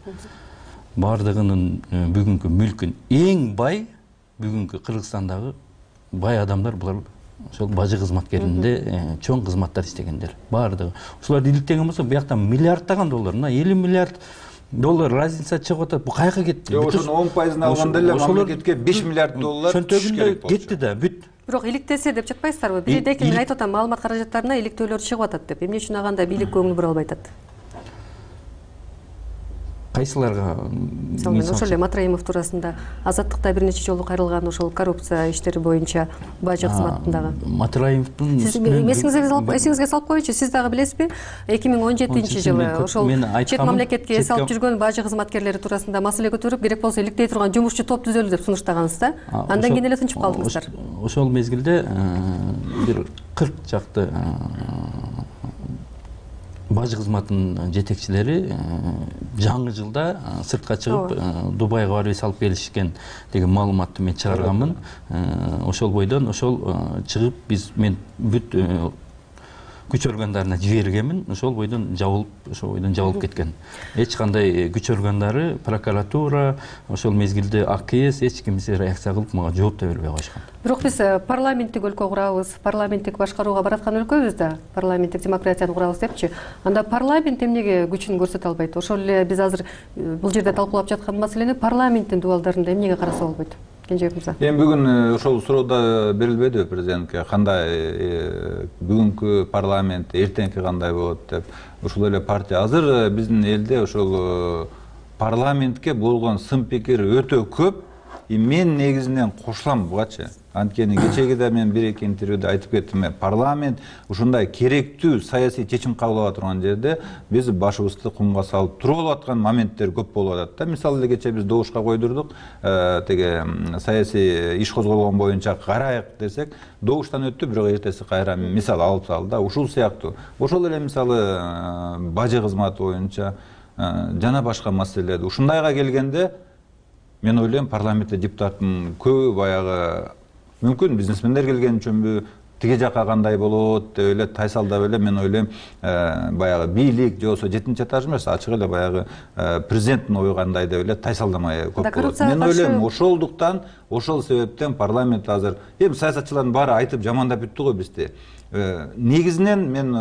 баардыгынын бүгүнкү мүлкүн эң бай бүгүнкү Кыргызстандагы бай адамдар булар ошол бажы кызматкеринде чоң кызматтар иштегендер. Баардыгы. Ушуларды иликтеген болсо, буяктан миллиарддаган доллар, мына элүү миллиард доллар разница чыгып атат. Бу кайга кетти? Ошонун он пайызын алганда эле мамлекетке беш миллиард доллар түшүш керек болчу. Кетти да, бүт. Бирок иликтесе деп жатпайсыздарбы? Бизде эки мен айтып атам, маалымат каражаттарына иликтөөлөр чыгып атат деп. Эмне үчүн аганда бийлик көңүл бура албай атат? Кайсыларга? Мисалы, ошол эле Матраимов туурасында Азаттыкта бир нече жолу кайрылган ошол коррупция иштери боюнча бажы кызматындагы. Матраимовдун эсиңизге салып коеюнчу, сиз дагы билесизби? эки миң он жетинчи жылы ошол чет мамлекетке эс алып жүргөн бажы кызматкерлери туурасында маселе көтөрүп, керек болсо иликтей турган жумушчу топ түзөлү деп сунуштагансыз да? Андан кийин эле тынчып калдыңыздар. Ошол мезгилде бир кырк жакты бажы кызматынын жетекчилери жаңы жылда сыртка чыгып Дубайга барып эс алып келишкен деген маалыматты мен чыгарганмын. Ошол бойдон ошол чыгып биз мен бүт күч органдарына жибергенмин. Ошол бойдон жабылып, ошол бойдон жабылып кеткен. Эч кандай күч органдары, прокуратура, ошол мезгилде А К С эч кимсе реакция кылып мага жооп да бербей коюшкан. Бирок биз парламенттик өлкө курабыз, парламенттик башкарууга бараткан өлкөбүз да, парламенттик демократияны курабыз депчи. Анда парламент эмнеге күчүн көрсөтө албайт? Ошол эле биз азыр бул жерде талкуулап жаткан маселени парламенттин дубалдарында эмнеге караса болбойт? Кенжебек мырза. Эми бүгүн ошол суроодо берилбедиби президентке кандай бүгүнкү парламент, эртеңки кандай болот деп. Ушул эле партия азыр биздин элде ошол парламентке болгон сын пикир өтө көп. Мен негизинен кошулам бугачы. Анткени кечегиде мен бир эки интервьюда айтып кеттим, парламент ушундай керектүү саясий чечим кабыл ала турган жерде биз башыбызды кумга салып туруп алып аткан моменттер көп болуп атат да. Мисалы эле кече биз добушка койдурдук, теге саясий иш козголгон боюнча карайык десек, добуштан өттү, бирок эртеси кайра мисал алып салды да. Ушул сыяктуу. Ошол эле мисалы бажы кызматы боюнча жана башка маселелер. Ушундайга келгенде мен ойлойм парламентте депутаттын көбү баягы мүмкүн бизнесмендер келген үчүнбү, тиги жака кандай болот деп эле тайсалдап эле мен ойлойм баягы бийлик же болбосо жетинчи этаж эмес ачык эле баягы президенттин ою кандай деп эле тайсалдамай көп болот. Мен ойлойм ошолдуктан ошол себептен парламент азыр эми саясатчылардын баары айтып жамандап бүттү го бизди. Негизинен мен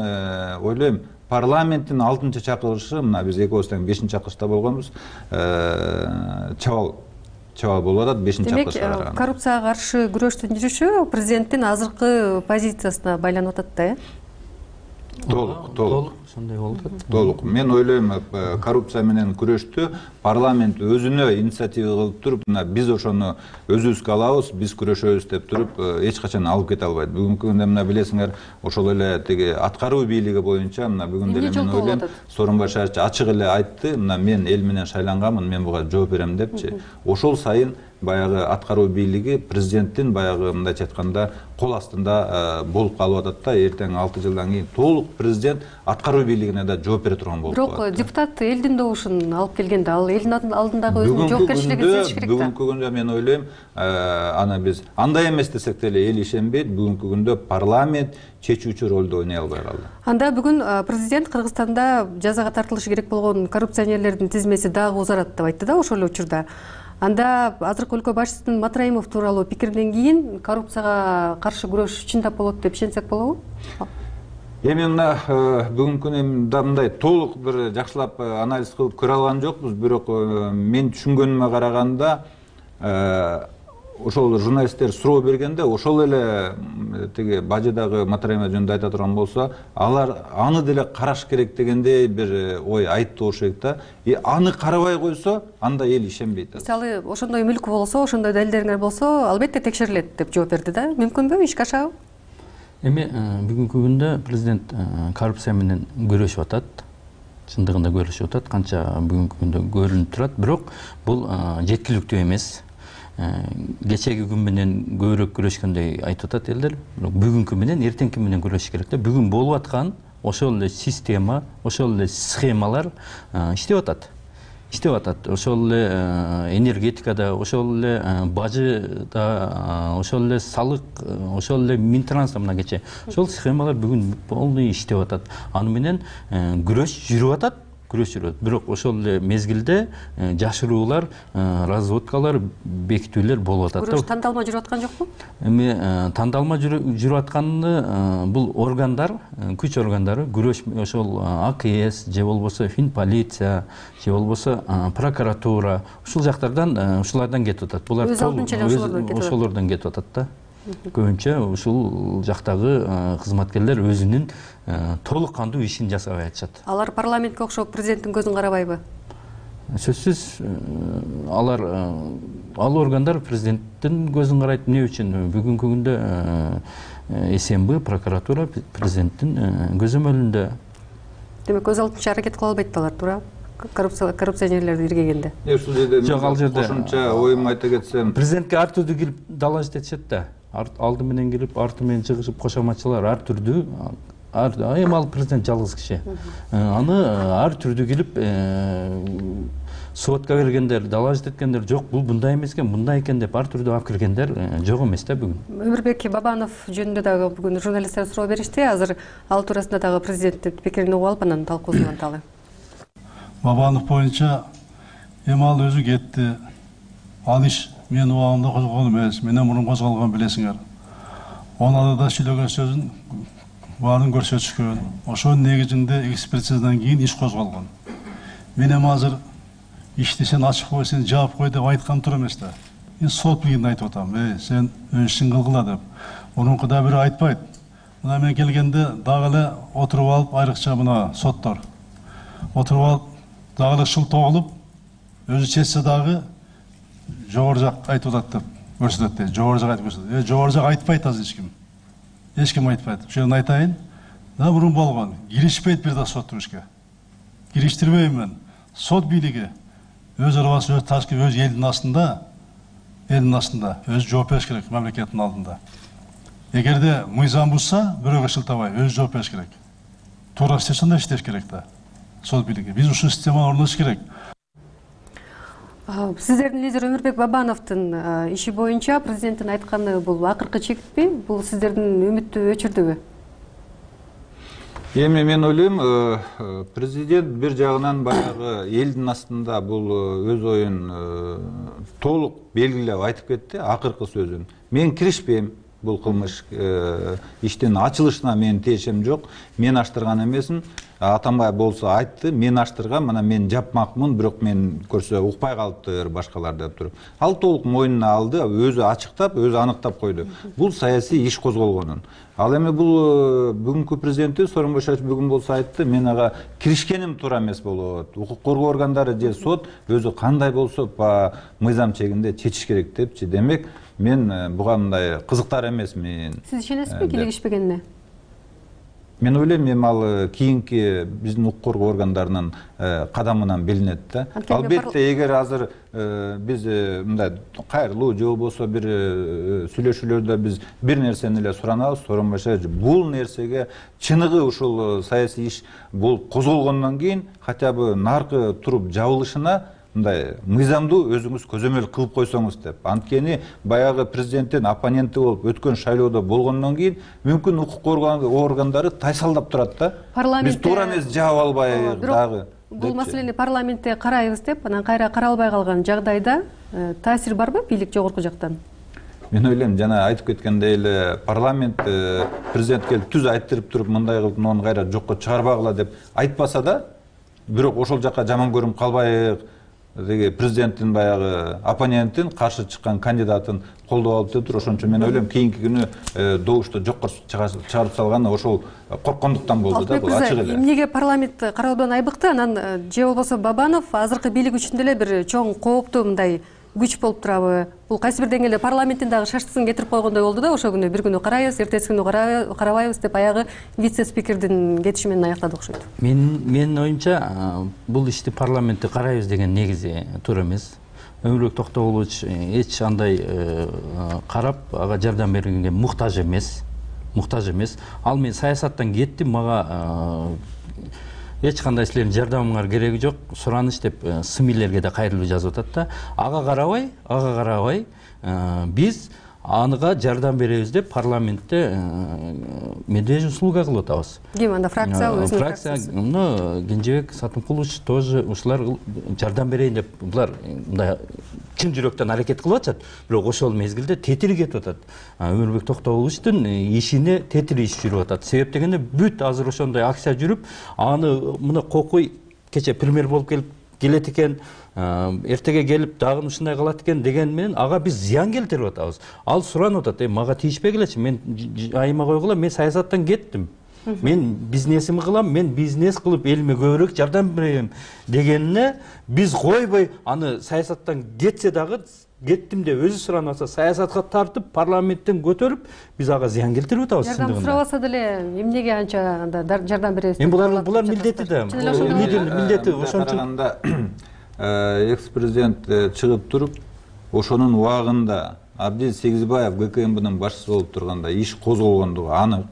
ойлойм парламенттин алтынчы чакырылышы, мына биз экөөбүз тең бешинчи чакырылышта болгонбуз, чабал чабал болуп атат бешинчи чакырылышка караганда. Демек, коррупцияга каршы күрөштүн жүрүшү президенттин азыркы позициясына байланып атат да, э? Толук, толук. Ошондой болуп атат. Толук. Мен ойлойм, коррупция менен күрөштү парламент өзүнө инициатива кылып туруп, мына биз ошону өзүбүзгө алабыз, биз күрөшөбүз деп туруп, эч качан алып кете албайт. Бүгүнкү күндө мына билесиңер, ошол эле тиги аткаруу бийлиги боюнча мына бүгүн деле мен ойлойм, Сооронбай шаарчы ачык эле айтты, мына мен эл менен шайланганмын, мен буга жооп берем депчи. Ошол сайын баягы аткаруу бийлиги президенттин баягы мындайча айтканда кол астында болуп калып атат да, эртең алты жылдан кийин толук президент аткаруу бийлигине да жооп бере турган болуп калат. Бирок депутат элдин добушун алып келгенде ал элдин алдындагы өзүнүн жоопкерчилигин сезиш керек да. Бүгүнкү күндө мен ойлойм, аны биз андай эмес десек деле эл ишенбейт, бүгүнкү күндө парламент чечүүчү ролду ойной албай калды. Анда бүгүн президент Кыргызстанда жазага тартылышы керек болгон коррупционерлердин тизмеси дагы узарат деп айтты да ошол эле учурда. Анда азыркы өлкө башчысынын Матраимов тууралуу пикиринен кийин коррупцияга каршы күрөш чындап болот деп ишенсек болобу? Эми мына бүгүнкү күндө мындай толук бир жакшылап анализ кылып көрө алган жокпуз, бирок мен түшүнгөнүмө караганда ошол журналисттер суроо бергенде ошол эле тиги бажыдагы Матраимов жөнүндө айта турган болсо, алар аны деле караш керек дегендей бир ой айтты болуш керек да. И аны карабай койсо, анда эл ишенбейт. Мисалы, ошондой мүлк болсо, ошондой далилдериңер болсо, албетте текшерилет деп жооп берди да. Мүмкүнбү, ишке ашабы? Эми бүгүнкү күндө президент коррупция менен күрөшүп атат. Чындыгында күрөшүп атат, канча бүгүнкү күндө көрүнүп турат, бирок бул жеткиликтүү эмес. Кечеги күн менен көбүрөөк күрөшкөндөй айтып атат элдер. Бүгүнкү менен эртеңки менен күрөшүш керек да. Бүгүн болуп аткан ошол эле система, ошол эле схемалар иштеп атат. Иштеп атат. Ошол эле энергетикада, ошол эле бажыда, ошол эле салык, ошол эле Минтрансда мына кече. Ошол схемалар бүгүн полный иштеп атат. Аны менен күрөш жүрүп атат. Күрөш жүрөт. Бирок ошол эле мезгилде жашыруулар, разводкалар, бекитүүлөр болуп атат. Күрөш тандалма жүрүп аткан жокпу? Эми тандалма жүрүп атканы бул органдар, күч органдары, күрөш ошол А К С же болбосо Финполиция, же болбосо прокуратура, ушул жактардан, ушулардан кетип атат. Булар ошолордон кетип атат да. Көбүнчө ушул жактагы кызматкерлер өзүнүн толук кандуу ишин жасабай атышат. Алар парламентке окшоп президенттин көзүн карабайбы? Сөзсүз алар ал органдар президенттин көзүн карайт. Эмне үчүн? Бүгүнкү күндө С М Б, прокуратура президенттин көзөмөлүндө. Демек, көз алдынча аракет кыла албайт алар, туура? Коррупционерлерди иргегенде. Жок, ал жерде кошумча оюм айта кетсем, президентке ар түрдүү келип далажат этишет да. Алды менен келип, арты менен чыгышып, кошоматчылар ар түрдүү, эми ал президент жалгыз киши. Аны ар түрдүү келип сотко бергендер, далажат эткендер жок, бул мындай эмес экен, мындай экен деп ар түрдүү алып киргендер жок эмес да бүгүн. Өмүрбек Бабанов жөнүндө дагы бүгүн журналисттер суроо беришти. Азыр ал туурасында дагы президенттин пикирин угуп алып, анан талкуусун анталы. Бабанов боюнча эми ал өзү кетти. Ал иш мен убагымда козголгон эмес, менен мурун козголгон билесиңер. Онада да сүйлөгөн сөзүн баарын көрсөтүшкөн. Ошонун негизинде экспертизадан кийин иш козголгон. Мен эми азыр ишти сен ачып кой, сен жаап кой деп айткан тур эмес да. Мен сот билгенде айтып атам, эй, сен өз ишиң кылгыла деп. Мурункуда бири айтпайт. Мына мен келгенде дагы эле отуруп алып, айрыкча мына соттор отуруп алып, дагы эле шыл тогулуп, өзү чечсе дагы жогору жак айтып атат деп көрсөтөт дейт. Жогору жак айтып көрсөтөт. Э, жогору жак айтпайт азыр эч ким. Эч ким айтпайт. Ошону айтайын. Да мурун болгон. Киришпейт бир да соттун ишке. Кириштирбейм мен. Сот бийлиги өз арабасы, өз ташкы, өз элдин астында, элдин астында өз жооп бериш керек мамлекеттин алдында. Эгерде мыйзам бузса, бирөөгө шылтабай өз жооп бериш керек. Туура иштесе анда иштеш керек да. Сот бийлиги. Биз ушул системаны орнотуш керек. Сиздердин лидер Өмүрбек Бабановдун иши боюнча президенттин айтканы бул акыркы чекитпи? Бул сиздердин үмүттү өчүрдүбү? Эми мен ойлойм, президент бир жагынан баягы элдин астында бул өз оюн толук белгилеп айтып кетти, акыркы сөзүн. Мен киришпейм бул кылмыш иштин ачылышына менин тиешем жок. Мен аштырган эмесмин. Атамбаев болсо айтты, мен аштыргам, мына мен жапмакмын, бирок мен көрсө укпай калыптыр башкалар деп туруп. Ал толук мойнуна алды, өзү ачыктап, өзү аныктап койду. Бул саясий иш козголгонун. Ал эми бул бүгүнкү президенти Сооронбай Шарипович бүгүн болсо айтты, мен ага киришкеним туура эмес болот. Укук коргоо органдары же сот өзү кандай болсо по мыйзам чегинде чечиш керек депчи. Демек, мен буга мындай кызыктар эмесмин. Сиз ишенесизби кийлигишпегенине? Мен ойлойм, эми ал кийинки биздин укук коргоо органдарынын кадамынан билинет да. Албетте, эгер азыр биз мындай кайрылуу же болбосо бир сүйлөшүүлөрдө биз бир нерсени эле суранабыз, Сооронбай Шарипович бул нерсеге чыныгы ушул саясий иш болуп козголгондон кийин хотя бы наркы туруп жабылышына мындай мыйзамдуу өзүңүз көзөмөл кылып койсоңуз деп. Анткени баягы президенттин оппоненти болуп өткөн шайлоодо болгондон кийин мүмкүн укук коргоо органдары тайсалдап турат да. Биз туура эмес жаап албайбыз дагы. Бул маселени парламентте карайбыз деп, анан кайра каралбай калган жагдайда таасир барбы бийлик жогорку жактан? Мен ойлойм, жана айтып кеткендей эле парламент президент келип түз айттырып туруп мындай кылып муну кайра жокко чыгарбагыла деп айтпаса да, бирок ошол жакка жаман көрүнүп калбайык. Деги президенттин баягы оппоненттин каршы чыккан кандидатын колдоп алып деп туруп, ошон үчүн мен ойлойм, кийинки күнү добушту жокко чыгарып салган ошол корккондуктан болду да, бул ачык эле. Эмнеге парламент кароодон айбыкты, анан же болбосо Бабанов азыркы бийлик үчүн деле бир чоң кооптуу мындай күч болуп турабы? Бул кайсы бир деңгээлде парламенттин дагы шаштысын кетирип койгондой болду да, ошол күнү бир күнү карайбыз, эртеси күнү карабайбыз деп аягы вице-спикердин кетиши менен аяктады окшойт. Мен менин оюмча бул ишти парламентте карайбыз деген негизи туура эмес. Өмүрбек Токтогулович эч андай карап ага жардам бергенге муктаж эмес. Муктаж эмес. Ал мен саясаттан кеттим, мага эч кандай силердин жардамыңар кереги жок, сураныч деп СМИлерге да кайрылуу жазып атат да. Ага карабай, ага карабай биз анга жардам беребиз деп парламентте медвежий услуга кылып атабыз. Ким анда фракция өзүнүн фракциясы? Ну, Кенжебек Сатымкулович тоже ушулар жардам берейин деп булар мындай чын жүрөктөн аракет кылып атышат, бирок ошол мезгилде тетири кетип атат. Өмүрбек Токтогуловичтин ишине тетири иш жүрүп атат. Себеп дегенде бүт азыр ошондой акция жүрүп, аны мына Кокуй кече премьер болуп келип келет экен, эртеге келип дагы ушундай кылат экен деген менен ага биз зыян келтирип атабыз. Ал суранып атат, мага тийишпегилечи, мен айыма койгула, мен саясаттан кеттим. Мен бизнесимди кылам, мен бизнес кылып элиме көбүрөөк жардам берем дегенине биз койбой, аны саясаттан кетсе дагы кеттим деп өзү суранып атса, саясатка тартып, парламенттен көтөрүп, биз ага зыян келтирип атабыз. Жардам сурабаса деле эмнеге анча жардам беребиз? Эми булар булар милдети да. Лидердин милдети ошон үчүн. Экс-президент чыгып туруп, ошонун убагында Абдиз Сегизбаев ГКМБнын башчысы болуп турганда иш козголгондугу анык.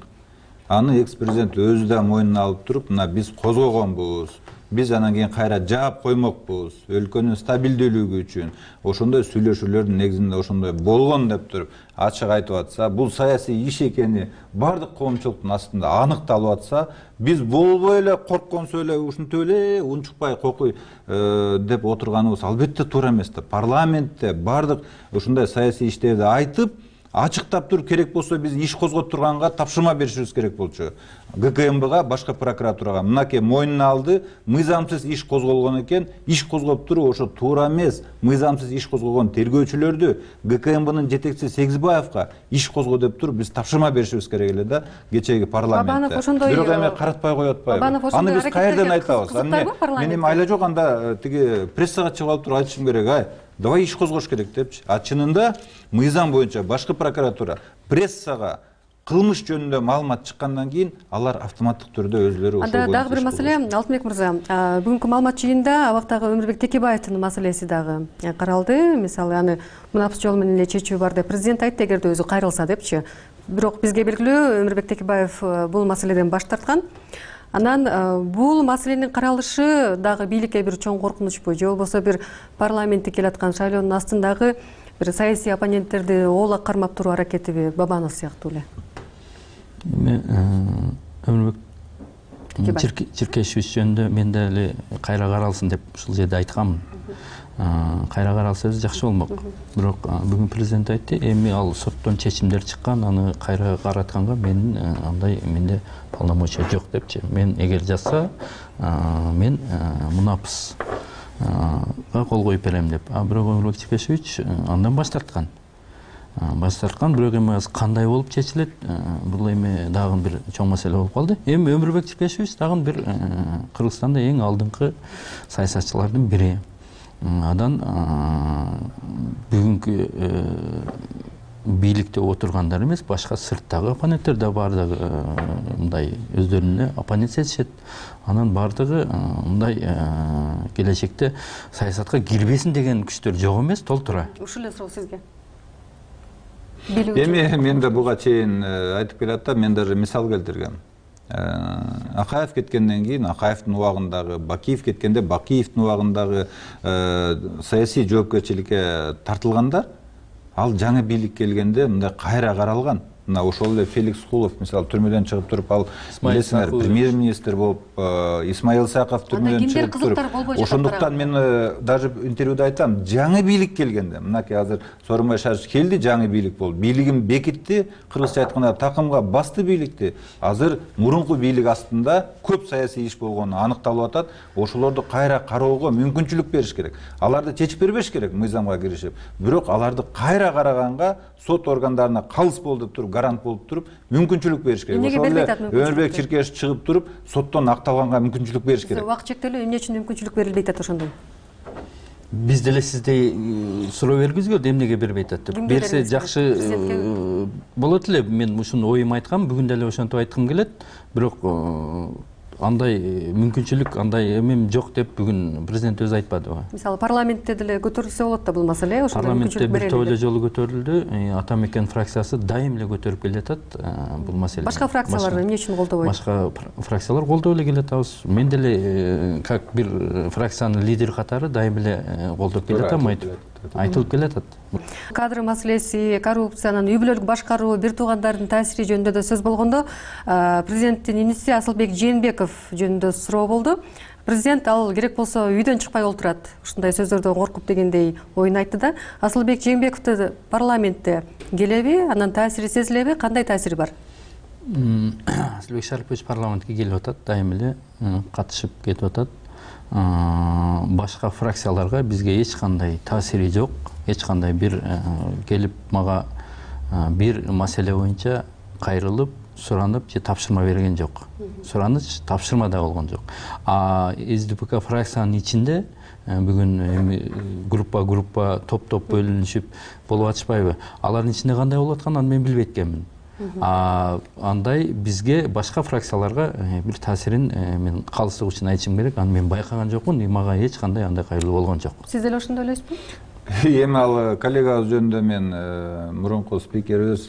Аны экс-президент өзү да мойнуна алып туруп, мына биз козгогонбуз. Биз анан кийин кайра жаап коймокпуз. Өлкөнүн стабилдүүлүгү үчүн ошондой сүйлөшүүлөрдүн негизинде ошондой болгон деп туруп ачык айтып атса, бул саясий иш экени бардык коомчулуктун астында аныкталып атса, биз болбой эле коркконсу эле ушинтип эле унчукпай кокуй деп отурганыбыз албетте туура эмес да. Парламентте бардык ушундай саясий иштерди айтып, ачыктап туруп керек болсо биз иш козгоп турганга тапшырма беришибиз керек болчу. ГКМБга, башка прокуратурага мынакей мойнуна алды, мыйзамсыз иш козголгон экен, иш козгоп туруп ошо туура эмес. Мыйзамсыз иш козголгон тергөөчүлөрдү ГКМБнын жетекчиси Сегизбаевка иш козго деп туруп биз тапшырма беришибиз керек эле да, кечеги парламентте. Бирок эми каратпай коет атпайбы? Аны биз каерден айтабыз? Мен эми айла жок, анда тиги прессага чыгып алып туруп айтышым керек, ай, давай иш козгош керек депчи. А чынында мыйзам боюнча башкы прокуратура прессага кылмыш жөнүндө маалымат чыккандан кийин алар автоматтык түрдө өзүлөрү ошол боюнча. Анда дагы бир маселе, Алтынбек мырза, бүгүнкү маалымат жыйынында абактагы Өмүрбек Текебаевдин маселеси дагы каралды. Мисалы, аны мунапыс жол менен эле чечүү бар деп президент айтты, эгерде өзү кайрылса депчи. Бирок бизге белгилүү Өмүрбек Текебаев бул маселеден баш тарткан. Анан бул маселенин каралышы дагы бийликке бир чоң коркунучпу, же болбосо бир парламентте келаткан шайлоонун астындагы бир саясий оппоненттерди оолак кармап туруу аракетиби, Бабанов сыяктуу эле? Өмүрбек Чиркешевич жөнүндө мен деле кайра каралсын деп ушул жерде айтканмын. Кайра каралса жакшы болмок. Бирок бүгүн президент айтты, эми ал соттон чечимдер чыккан, аны кайра каратканга менин андай менде полномочия жок депчи. Мен эгер жазса, мен мунапыс кол коюп берем деп. А бирок Өмүрбек Чиркешевич андан баш тарткан. Баш тарткан, бирок эми азыр кандай болуп чечилет, бул эми дагы бир чоң маселе болуп калды. Эми Өмүрбек Чиркешевич дагы бир Кыргызстанда эң алдыңкы саясатчылардын бири. Адан бүгүнкү бийликте отургандар эмес, башка сырттагы оппоненттер да баардыгы мындай өздөрүнө оппонент сезишет. Анан баардыгы мындай келечекте саясатка кирбесин деген күчтөр жок эмес, толтура. Ушул эле суроо сизге. Эми мен да буга чейин айтып келатам, мен даже мисал келтиргем. Акаев кеткенден кийин Акаевдин убагындагы, Бакиев кеткенде Бакиевдин убагындагы саясий жоопкерчиликке тартылгандар, ал жаңы бийлик келгенде мындай кайра каралган. Мына ошол эле Феликс Кулов мисалы түрмөдөн чыгып туруп, ал билесиңер, премьер-министр болуп, Исмаил Саков түрмөдөн чыгып туруп. Ошондуктан мен даже интервьюда айтам, жаңы бийлик келгенде, мынакей азыр Сооронбай Шарипов келди, жаңы бийлик болду. Бийлигин бекитти, кыргызча айтканда такымга басты бийликти. Азыр мурунку бийлик астында көп саясий иш болгону аныкталып атат. Ошолорду кайра кароого мүмкүнчүлүк бериш керек. Аларды чечип бербеш керек мыйзамга киришип. Бирок аларды кайра караганга сот органдарына калыс болду деп туруп, гарант болуп туруп, мүмкүнчүлүк бериш керек. Ошол эле Өмүрбек Чиркешевич чыгып туруп, соттон акталганга мүмкүнчүлүк бериш керек. Убакыт чектелүү, эмне үчүн мүмкүнчүлүк берилбей атат ошондон? Биз деле сиздей суроо бергизгүлө, эмнеге бербей атат деп. Берсе жакшы болот эле. Мен ушуну оюм айткам, бүгүн деле ошентип айткым келет. Бирок андай мүмкүнчүлүк, андай эмем жок деп бүгүн президент өзү айтпадыбы? Мисалы парламентте деле көтөрүлсө болот да бул маселе, ошондой мүмкүнчүлүк берели. Парламентте бир топ эле жолу көтөрүлдү. Ата мекен фракциясы дайым эле көтөрүп келатат бул маселени. Башка фракциялар эмне үчүн колдобойт? Башка фракциялар колдоп эле келатабыз. Мен деле как бир фракциянын лидери катары дайым эле колдоп келатам, айтылып келатат. Кадр маселеси, коррупциянын, үй бүлөлүк башкаруу, бир туугандардын таасири жөнүндө да сөз болгондо, президенттин иниси Асылбек Жээнбеков жөнүндө суроо болду. Президент ал керек болсо үйдөн чыкпай олтурат, ушундай сөздөрдөн коркуп дегендей оюн айтты да. Асылбек Жээнбековду парламентте келеби, анан таасири сезилеби, кандай таасири бар? Асылбек Шарипович парламентке келип атат, дайым эле катышып кетип атат. Башка фракцияларга бизге эч кандай таасири жок. Эч кандай бир келип мага бир маселе боюнча кайрылып, суранып же тапшырма берген жок. Сураныч, тапшырма да болгон жок. А СДПК фракциянын ичинде бүгүн группа группа топ-топ бөлүнүшүп болуп атышпайбы? Алардын ичинде кандай болуп атканын мен билбей эткенмин. А андай бизге башка фракцияларга бир таасирин мен калыстык үчүн айтышым керек. Аны мен байкаган жокмун, мага эч кандай андай кайрылуу болгон жок. Сиз деле ошондой элесизби? Эми ал коллегабыз жөнүндө мен мурунку спикерибиз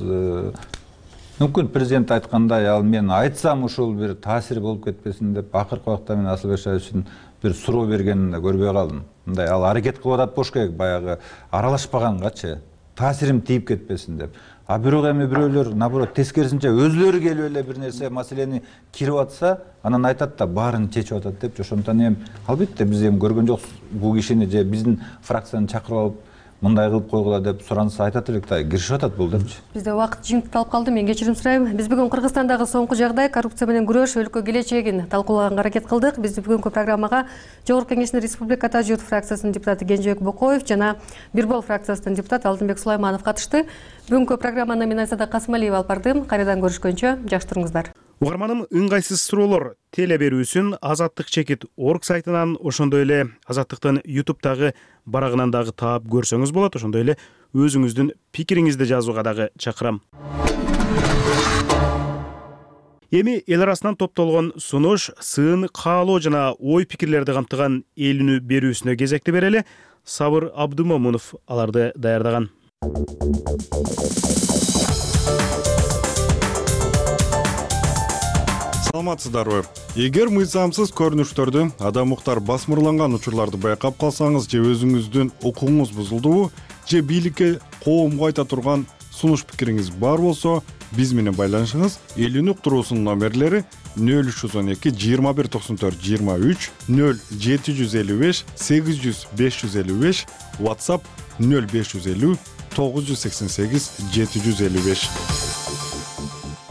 мүмкүн президент айткандай, ал мен айтсам ушул бир таасир болуп кетпесин деп акыркы убакта мен Асылбек Шариповичтин бир суроо бергенин да көрбөй калдым. Мындай ал аракет кылып атат болуш керек, баягы аралашпагангачы, таасирим тийип кетпесин деп. А бирок эми бирөөлөр наоборот тескерисинче өзлөрү келип эле бир нерсе маселени кирип атса, анан айтат да баарын чечип атат деп. Ошондон эми албетте биз эми көргөн жокпуз бул кишини же биздин фракцияны чакырып алып мындай кылып койгула деп суранса айтат элек да, киришип атат бул депчи. Бизде убакыт жыйынтыкталып калды. Мен кечирим сурайм. Биз бүгүн Кыргызстандагы соңку жагдай, коррупция менен күрөш, өлкө келечегин талкуулаганга аракет кылдык. Биз бүгүнкү программага Жогорку Кеңештин Республика Журт фракциясынын депутаты Кенжебек Бокоев жана Бирбол фракциясынын депутаты Алтынбек Сулайманов катышты. Бүгүнкү программаны мен Айсада Касымалиева алып бардым. Кайрадан көрүшкөнчө жакшы туруңуздар. Угарманым, ыңгайсыз суроолор теле берүүсүн Азаттык чекит орг сайтынан, ошондой эле Азаттыктын ютубтагы барагынан дагы таап көрсөңүз болот. Ошондой эле өзүңүздүн пикириңизди жазууга дагы чакырам. Эми эл арасынан топтолгон сунуш, сын, каалоо жана ой пикирлерди камтыган эл үнү берүүсүнө кезекти берели. Сабыр Абдумомунов аларды даярдаган. саламатсыздарбы? Эгер мыйзамсыз көрүнүштөрдү, адам укуктар басмырланган учурларды байкап калсаңыз же өзүңүздүн укугуңуз бузулдубу, же бийликке коомго айта турган сунуш пикириңиз бар болсо, биз менен байланышыңыз. Элүүнү уктуруусунун номерлери нөл үч жүз он эки жыйырма бир токсон төрт жыйырма үч, нөл жети жүз элүү беш сегиз жүз беш жүз элүү беш, WhatsApp нөл беш жүз элүү тогуз жүз сексен сегиз жети жүз элүү беш.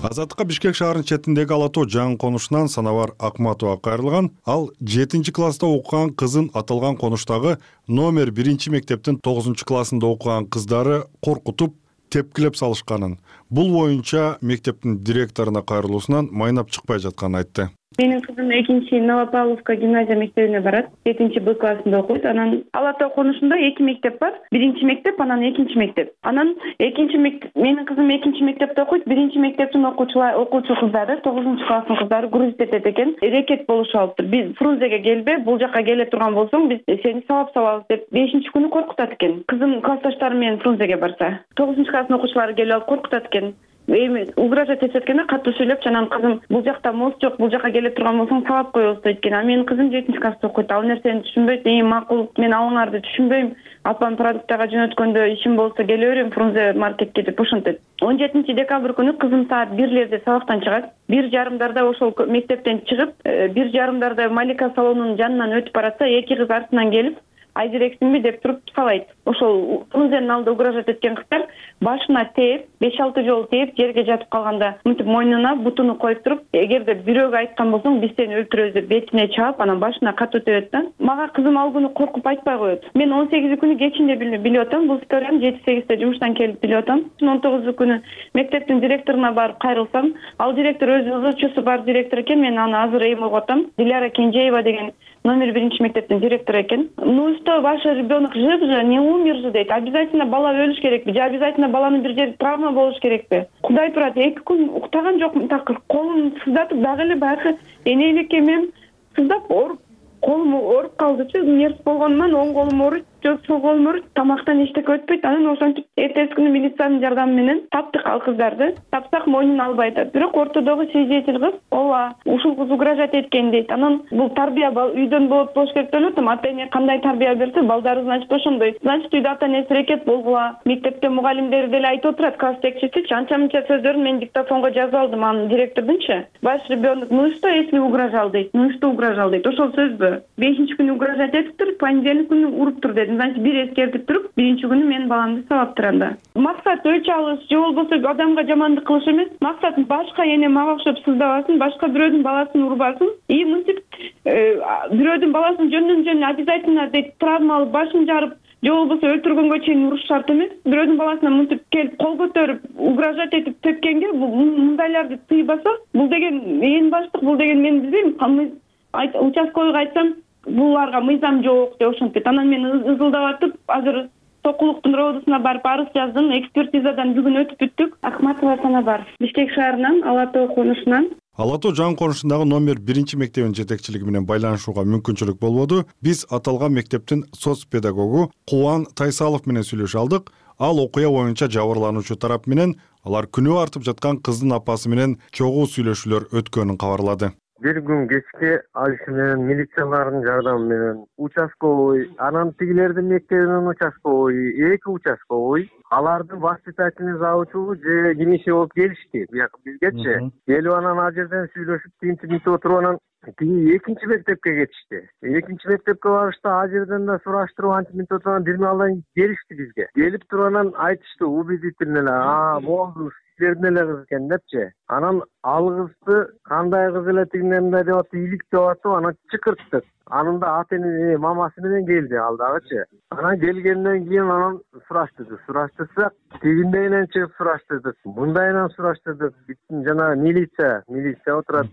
Азаттыкка Бишкек шаарынын четиндеги ала тоо жаңы конушунан Санабар Акматова кайрылган. Ал жетинчи класста окуган кызын аталган конуштагы номер биринчи мектептин тогузунчу классында окуган кыздары коркутуп, тепкилеп салышканын, бул боюнча мектептин директоруна кайрылуусунан майнап чыкпай жатканын айтты. Менин кызым экинчи Новопавловка гимназия мектебине барат. жетинчи Б классында окуйт. Анан ала тоо конушунда эки мектеп бар. Биринчи мектеп, анан экинчи мектеп. Анан экинчи мектеп, менин кызым экинчи мектепте окуйт. Биринчи мектептин окуучулар, окуучу кыздары, тогузунчу класстын кыздары грузит этет экен. Рекет болушуп алыптыр. Биз Фрунзеге келбе, бул жака келе турган болсоң, биз сени сабап салабыз деп бешинчи күнү коркутат экен. Кызым классташтары менен Фрунзеге барса, тогузунчу класстын окуучулары келип алып коркутат экен. Эми угрожать этет экен, катуу сүйлөп, анан кызым бул жакта мост жок, бул жака келе турган болсоң сабап коебуз дейт экен. А менин кызым жетинчи класста окуйт. Ал нерсени түшүнбөйт. Эми макул, мен алыңарды түшүнбөйм. Апам продуктага жөнөткөндө ишим болсо келе берем Фрунзе маркетке деп ошентет. он жетинчи декабрь күнү кызым саат бирлерде сабактан чыгат. Бир жарымдарда ошол мектептен чыгып, бир жарымдарда Малика салонунун жанынан өтүп баратса, эки кыз артынан келип, айдирексиңби деп туруп салайт. Ошол Фрунзенин алдында угрожать эткен кыздар башына тээп, беш алты жолу тээп, жерге жатып калганда мынтип мойнуна бутуну коюп туруп, эгерде бирөөгө айткан болсоң, биз сени өлтүрөбүз деп бетине чаап, анан башына катуу тебет да. Мага кызым ал күнү коркуп айтпай коет. Мен он сегизи күнү кечинде билип атам, бул историяны жети сегизде жумуштан келип билип атам. он тогузу күнү мектептин директоруна барып кайрылсам, ал директор өзү ызычуусу бар директор экен, мен аны азыр эми угуп атам. Диляра Кенжеева деген номер биринчи мектептин директору экен. Ну что, ваш ребенок жив же, не умер же дейт. Обязательно бала өлүш керекпи же обязательно баланын бир жери травма болуш керекпи? Кудай турат, эки күн уктаган жокмун, так колум сыздатып дагы эле баягы энейлекке мен сыздап ооруп, колум ооруп калдычы. Нерс болгонунан оң колум ооруйт, жок сол колум ооруйт, тамактан эчтеке өтпөйт. Анан ошентип эртеси күнү милициянын жардамы менен таптык ал кыздарды. Тапсак мойнун албай атат. Бирок ортодогу свидетель кыз ооба ушул кыз угрожать эткен дейт. Анан бул тарбия үйдөн болот болуш керек деп атам. Ата эне кандай тарбия берсе, балдары значит ошондой. Значит үйдө ата энеси рекет болгула. Мектепте мугалимдери деле айтып отурат, класс жетекчиси анча-мынча сөздөрүн мен диктофонго жазып алдым анын директордунчу. Ваш ребенок, ну что если угрожал дейт, ну что угрожал дейт. Ошол сөзбү? бешинчи күнү угрожать этиптир, понедельник күнү уруптур деди. Значит, бир эскертип туруп, биринчи күнү мен баламды сабаптыр анда. Максат өч алыш, же болбосо адамга жамандык кылыш эмес. Максат башка эне мага окшоп сыздабасын, башка бирөөдүн баласын урбасын. И мынтип бирөөдүн баласын жөндөн-жөн обязательно дейт травма алып, башын жарып, же болбосо өлтүргөнгө чейин уруш шарт эмес. Бирөөдүн баласына мынтип келип кол көтөрүп, угрожать этип тепкенге мындайларды тыйбаса, бул деген эң баштык, бул деген мен билбейм. Участковыйга айтсам, буларга мыйзам жок деп ошентет. Анан мен ызылдап атып, азыр Сокулуктун роодусуна барып арыз жаздым. Экспертизадан бүгүн өтүп бүттүк. Акматова Санабар, Бишкек шаарынан ала тоо конушунан. Ала тоо жаңы конушундагы номер биринчи мектебинин жетекчилиги менен байланышууга мүмкүнчүлүк болбоду. Биз аталган мектептин соц педагогу Кубан Тайсалов менен сүйлөшө алдык. Ал окуя боюнча жабырлануучу тарап менен алар күнөө артып жаткан кыздын апасы менен чогуу сүйлөшүүлөр өткөнүн кабарлады. Бир күн кечке ал иши менен милициялардын жардамы менен участковый, анан тигилердин мектебинин участковый, эки участковый, алардын воспитательный завучу же кимиши болуп келишти. Бияка бизгечи келип анан ал жерден сүйлөшүп, тинтип мынтип отуруп анан тиги экинчи мектепке кетишти. Экинчи мектепке барышты, ал жерден да сураштырып антип мынтип отуруп анан бир маалдан келишти бизге. Келип туруп анан айтышты убедительно эле, а болду силердин эле кыз экен депчи. Анан ал кызды кандай кыз эле тигине мындай деп атып, илик деп атып, анан чыкырттык. Анын да ата эне мамасы менен келди ал дагычы. Анан келгенден кийин анан сураштырды. Сураштырсак, тигиндейинен чыгып сураштырдык, мындайынан сураштырдык. Жана милиция, милиция отурат.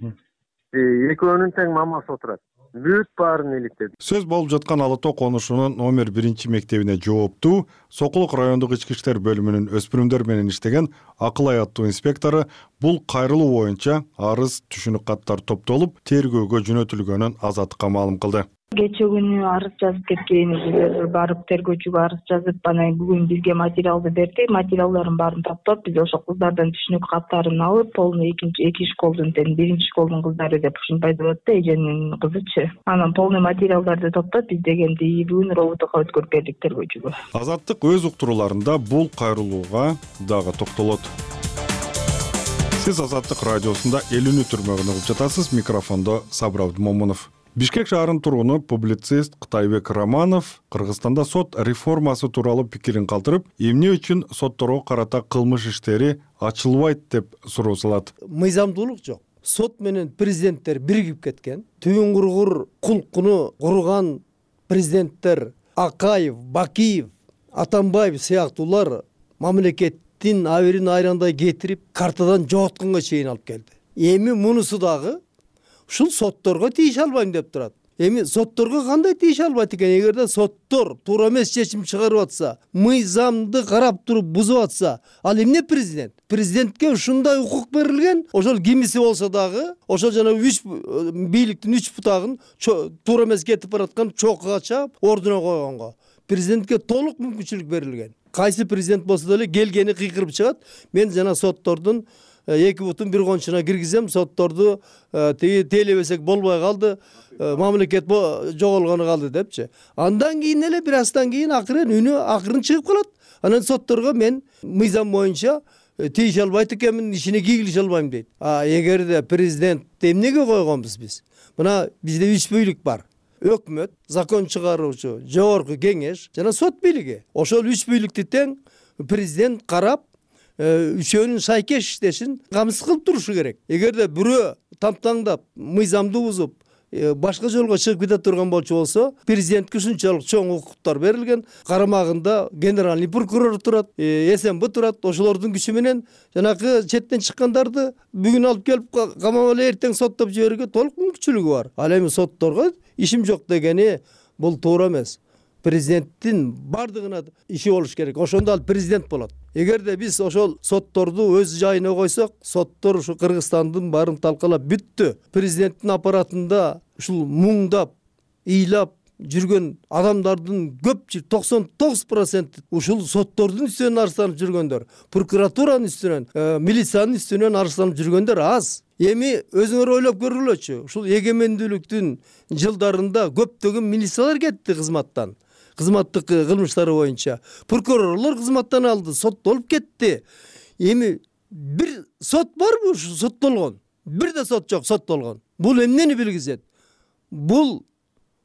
Экөөнүн тең мамасы отурат. Бүт баарын иликтеди. Сөз болуп жаткан ала тоо конушунун номер биринчи мектебине жооптуу Сокулук райондук ички иштер бөлүмүнүн өспүрүмдөр менен иштеген Акылай аттуу инспектору бул кайрылуу боюнча арыз, түшүнүк каттар топтолуп, тергөөгө жөнөтүлгөнүн Азаттыкка маалым кылды. Кече күнү арыз жазып кеткенбиз, барып тергөөчүгө арыз жазып, анан бүгүн бизге материалды берди. Материалдардын баарын таптап, биз ошол кыздардын түшүнүк каттарын алып, полный экинчи эки школдун тең биринчи школдун кыздары деп ушинтип айтып атты, эженин кызычы. Анан полный материалдарды топтоп, биз дегенди бүгүн роботука өткөрүп бердик тергөөчүгө. Азаттык өз уктурууларында бул кайрылууга дагы токтолот. Сиз Азаттык радиосунда элүүнү түрмөгүн угуп жатасыз. Микрофондо Сабыр Абдымомунов. Бишкек шаарынын тургуну публицист Кытайбек Романов Кыргызстанда сот реформасы тууралуу пикирин калтырып, эмне үчүн сотторго карата кылмыш иштери ачылбайт деп суроо салат. Мыйзамдуулук жок. Сот менен президенттер биригип кеткен. Түбүн кургур кулкуну курган президенттер Акаев, Бакиев, Атамбаев сыяктуулар мамлекеттин аберин айрандай кетирип, картадан жоготконго чейин алып келди. Эми мунусу дагы ушул сотторго тийише албайм деп турат. Эми сотторго кандай тийише албайт экен? Эгерде соттор туура эмес чечим чыгарып атса, мыйзамды карап туруп бузуп атса, ал эмне президент? Президентке ушундай укук берилген. Ошол кимиси болсо дагы, ошол жана үч бийликтин үч бутагын туура эмес кетип бараткан чокуга чаап, ордуна койгонго президентке толук мүмкүнчүлүк берилген. Кайсы президент болсо деле келгени кыйкырып чыгат. Мен жана соттордун эки бутун бир кончуна киргизем, сотторду тиги тейлебесек болбой калды, мамлекет жоголгону калды депчи. Андан кийин эле бир аздан кийин акырын үнү акырын чыгып калат. Анан сотторго мен мыйзам боюнча тийише албайт экенмин, ишине кийгилише албайм дейт. А эгерде президент эмнеге койгонбуз биз? Мына бизде үч бийлик бар. Өкмөт, закон чыгаруучу, жогорку кеңеш жана сот бийлиги. Ошол үч бийликти тең президент карап, үчөөнүн шайкеш иштешин камсыз кылып турушу керек. Эгерде бирөө тамтаңдап, мыйзамды бузуп, башка жолго чыгып кете турган болчу болсо, президентке ушунчалык чоң укуктар берилген. Карамагында генеральный прокурор турат, СМБ турат. Ошолордун күчү менен жанакы четтен чыккандарды бүгүн алып келип камап эле эртең соттоп жиберүүгө толук мүмкүнчүлүгү бар. Ал эми сотторго ишим жок дегени бул туура эмес. Президенттин бардыгына иши болуш керек. Ошондо ал президент болот. Эгерде биз ошол сотторду өз жайына койсок, соттор ушу Кыргызстандын баарын талкалап бүттү. Президенттин аппаратында ушул муңдап, ыйлап жүргөн адамдардын көпчүлүк токсон тогуз проценти ушул соттордун үстүнөн арызданып жүргөндөр, прокуратуранын үстүнөн, милициянын үстүнөн арызданып жүргөндөр аз. Эми өзүңөр ойлоп көргүлөчү. Ушул эгемендүүлүктүн жылдарында көптөгөн милициялар кетти кызматтан. Кызматтык кылмыштары боюнча прокурорлор кызматтан алды, соттолуп кетти. Эми бир сот барбы ушу соттолгон? Бир да сот жок соттолгон. Бул эмнени билгизет? Бул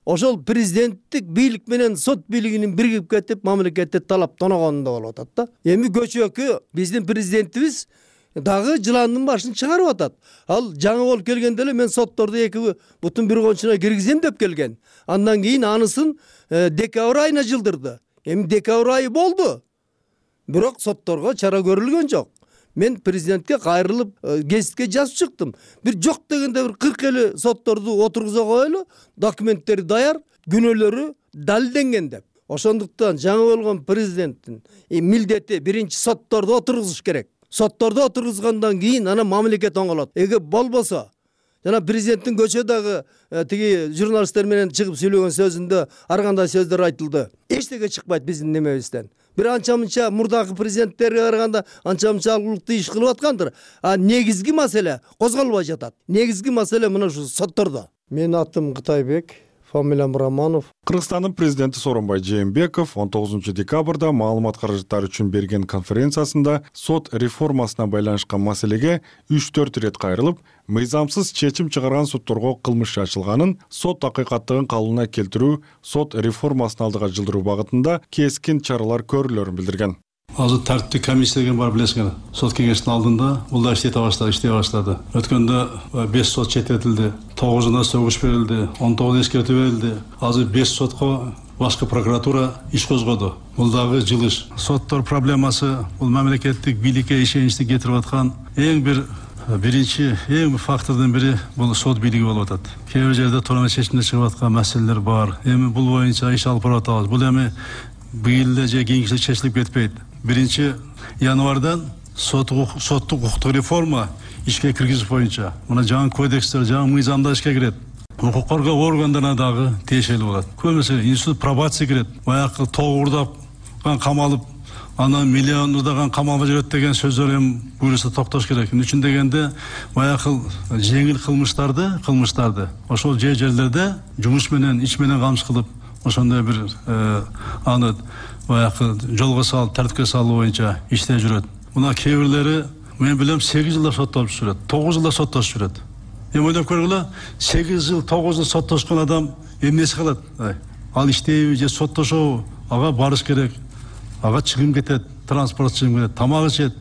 ошол президенттик бийлик менен сот бийлигинин биригип кетип, мамлекетте талап тоногонунда болуп атат да. Эми көчөкү биздин президентибиз дагы жыландын башын чыгарып атат. Ал жаңы болуп келгенде эле мен сотторду эки бутун бир кончуна киргизем деп келген. Андан кийин анысын декабрь айына жылдырды. Эми декабрь айы болду. Бирок сотторго чара көрүлгөн жок. Мен президентке кайрылып гезитке жазып чыктым. Бир жок дегенде бир кырк элүү сотторду отургуза коелу, документтери даяр, күнөөлөрү далилденген деп. Ошондуктан жаңы болгон президенттин милдети биринчи сотторду отургузуш керек. Сотторду отургузгандан кийин анан мамлекет оңолот. Эгер болбосо, жана президенттин көчөдөгү тиги журналисттер менен чыгып сүйлөгөн сөзүндө ар кандай сөздөр айтылды. Эчтеке чыкпайт биздин немебизден. Бир анча-мынча мурдагы президенттерге караганда анча-мынча алгылыктуу иш кылып аткандыр. А негизги маселе козголбой жатат. Негизги маселе мына ушу соттордо. Менин атым Кытайбек, фамилиям Романов. Кыргызстандын президенти Сооронбай Жээнбеков он тогузунчу декабрда маалымат каражаттары үчүн берген конференциясында сот реформасына байланышкан маселеге үч төрт ирет кайрылып, мыйзамсыз чечим чыгарган сотторго кылмыш ачылганын, сот акыйкаттыгын калыбына келтирүү, сот реформасын алдыга жылдыруу багытында кескин чаралар көрүлөрүн билдирген. Азыр тартиптик комиссия деген бар, билесиңер. Сот кеңештин алдында бул да иштете баштады, иштей баштады. Өткөндө беш сот чечилди, тогузуна сөгүш берилди, он тогуз эскертүү берилди. Азыр беш сотко башкы прокуратура иш козгоду. Бул дагы жылыш. Соттор проблемасы бул мамлекеттик бийликке ишеничти кетирип аткан эң бир биринчи эң фактордун бири бул сот бийлиги болуп атат. Кээ бир жерде туура эмес чечимдер чыгып аткан маселелер бар. Эми бул боюнча иш алып барып атабыз. Бул эми быйыл эле же кийинки жылы чечилип кетпейт. Биринчи январдан соттук укуктук реформа ишке киргизиш боюнча мына жаңы кодекстер, жаңы мыйзамдар ишке кирет. укук коргоо органдарына дагы тиешелүү болот. Көбүнесе институт пробация кирет. Баягы тоогурдап камалып, анан миллиондаган камалга жүрөт деген сөздөр эми буюрса токтош керек. Эмне үчүн дегенде, баягы жеңил кылмыштарды, кылмыштарды ошол жер жерлерде жумуш менен, ич менен камсыз кылып, ошондой бир аны баягы жолго салып, тартипке салуу боюнча иштеп жүрөт. Мына кээ бирлери мен билем сегиз жылда соттолуп жүрөт, тогуз жылда соттошуп жүрөт. Эми ойлоп көргүлө, сегиз жыл, тогуз жыл соттошкон адам эмнеси калат? Ал иштейби же соттошобу? Ага барыш керек. Ага чыгым кетет, транспорт чыгым кетет, тамак ичет,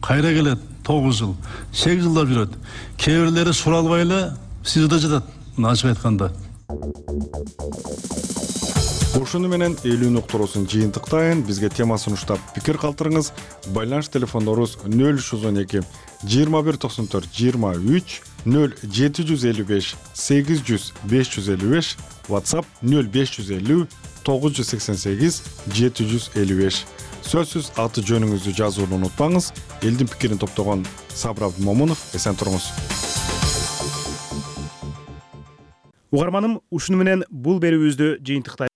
кайра келет, тогуз жыл, сегиз жылда жүрөт. Кээ бирлери суралбай эле СИЗОдо жатат. Мына ачык айтканда. Ушуну менен элүү уктуруусун жыйынтыктайын. Бизге тема сунуштап пикир калтырыңыз. Байланыш телефондорубуз нөл үч жүз он эки жыйырма бир токсон төрт жыйырма үч, нөл жети жүз элүү беш сегиз жүз беш жүз элүү беш, WhatsApp нөл беш жүз элүү тогуз жүз сексен сегиз жети жүз элүү беш. Сөзсүз аты жөнүңүздү жазууну унутпаңыз. Элдин пикирин топтогон Сабыр Абдымомунов, эсен туруңуз. Угарманым, ушуну менен бул берүүбүздү жыйынтыктайбыз.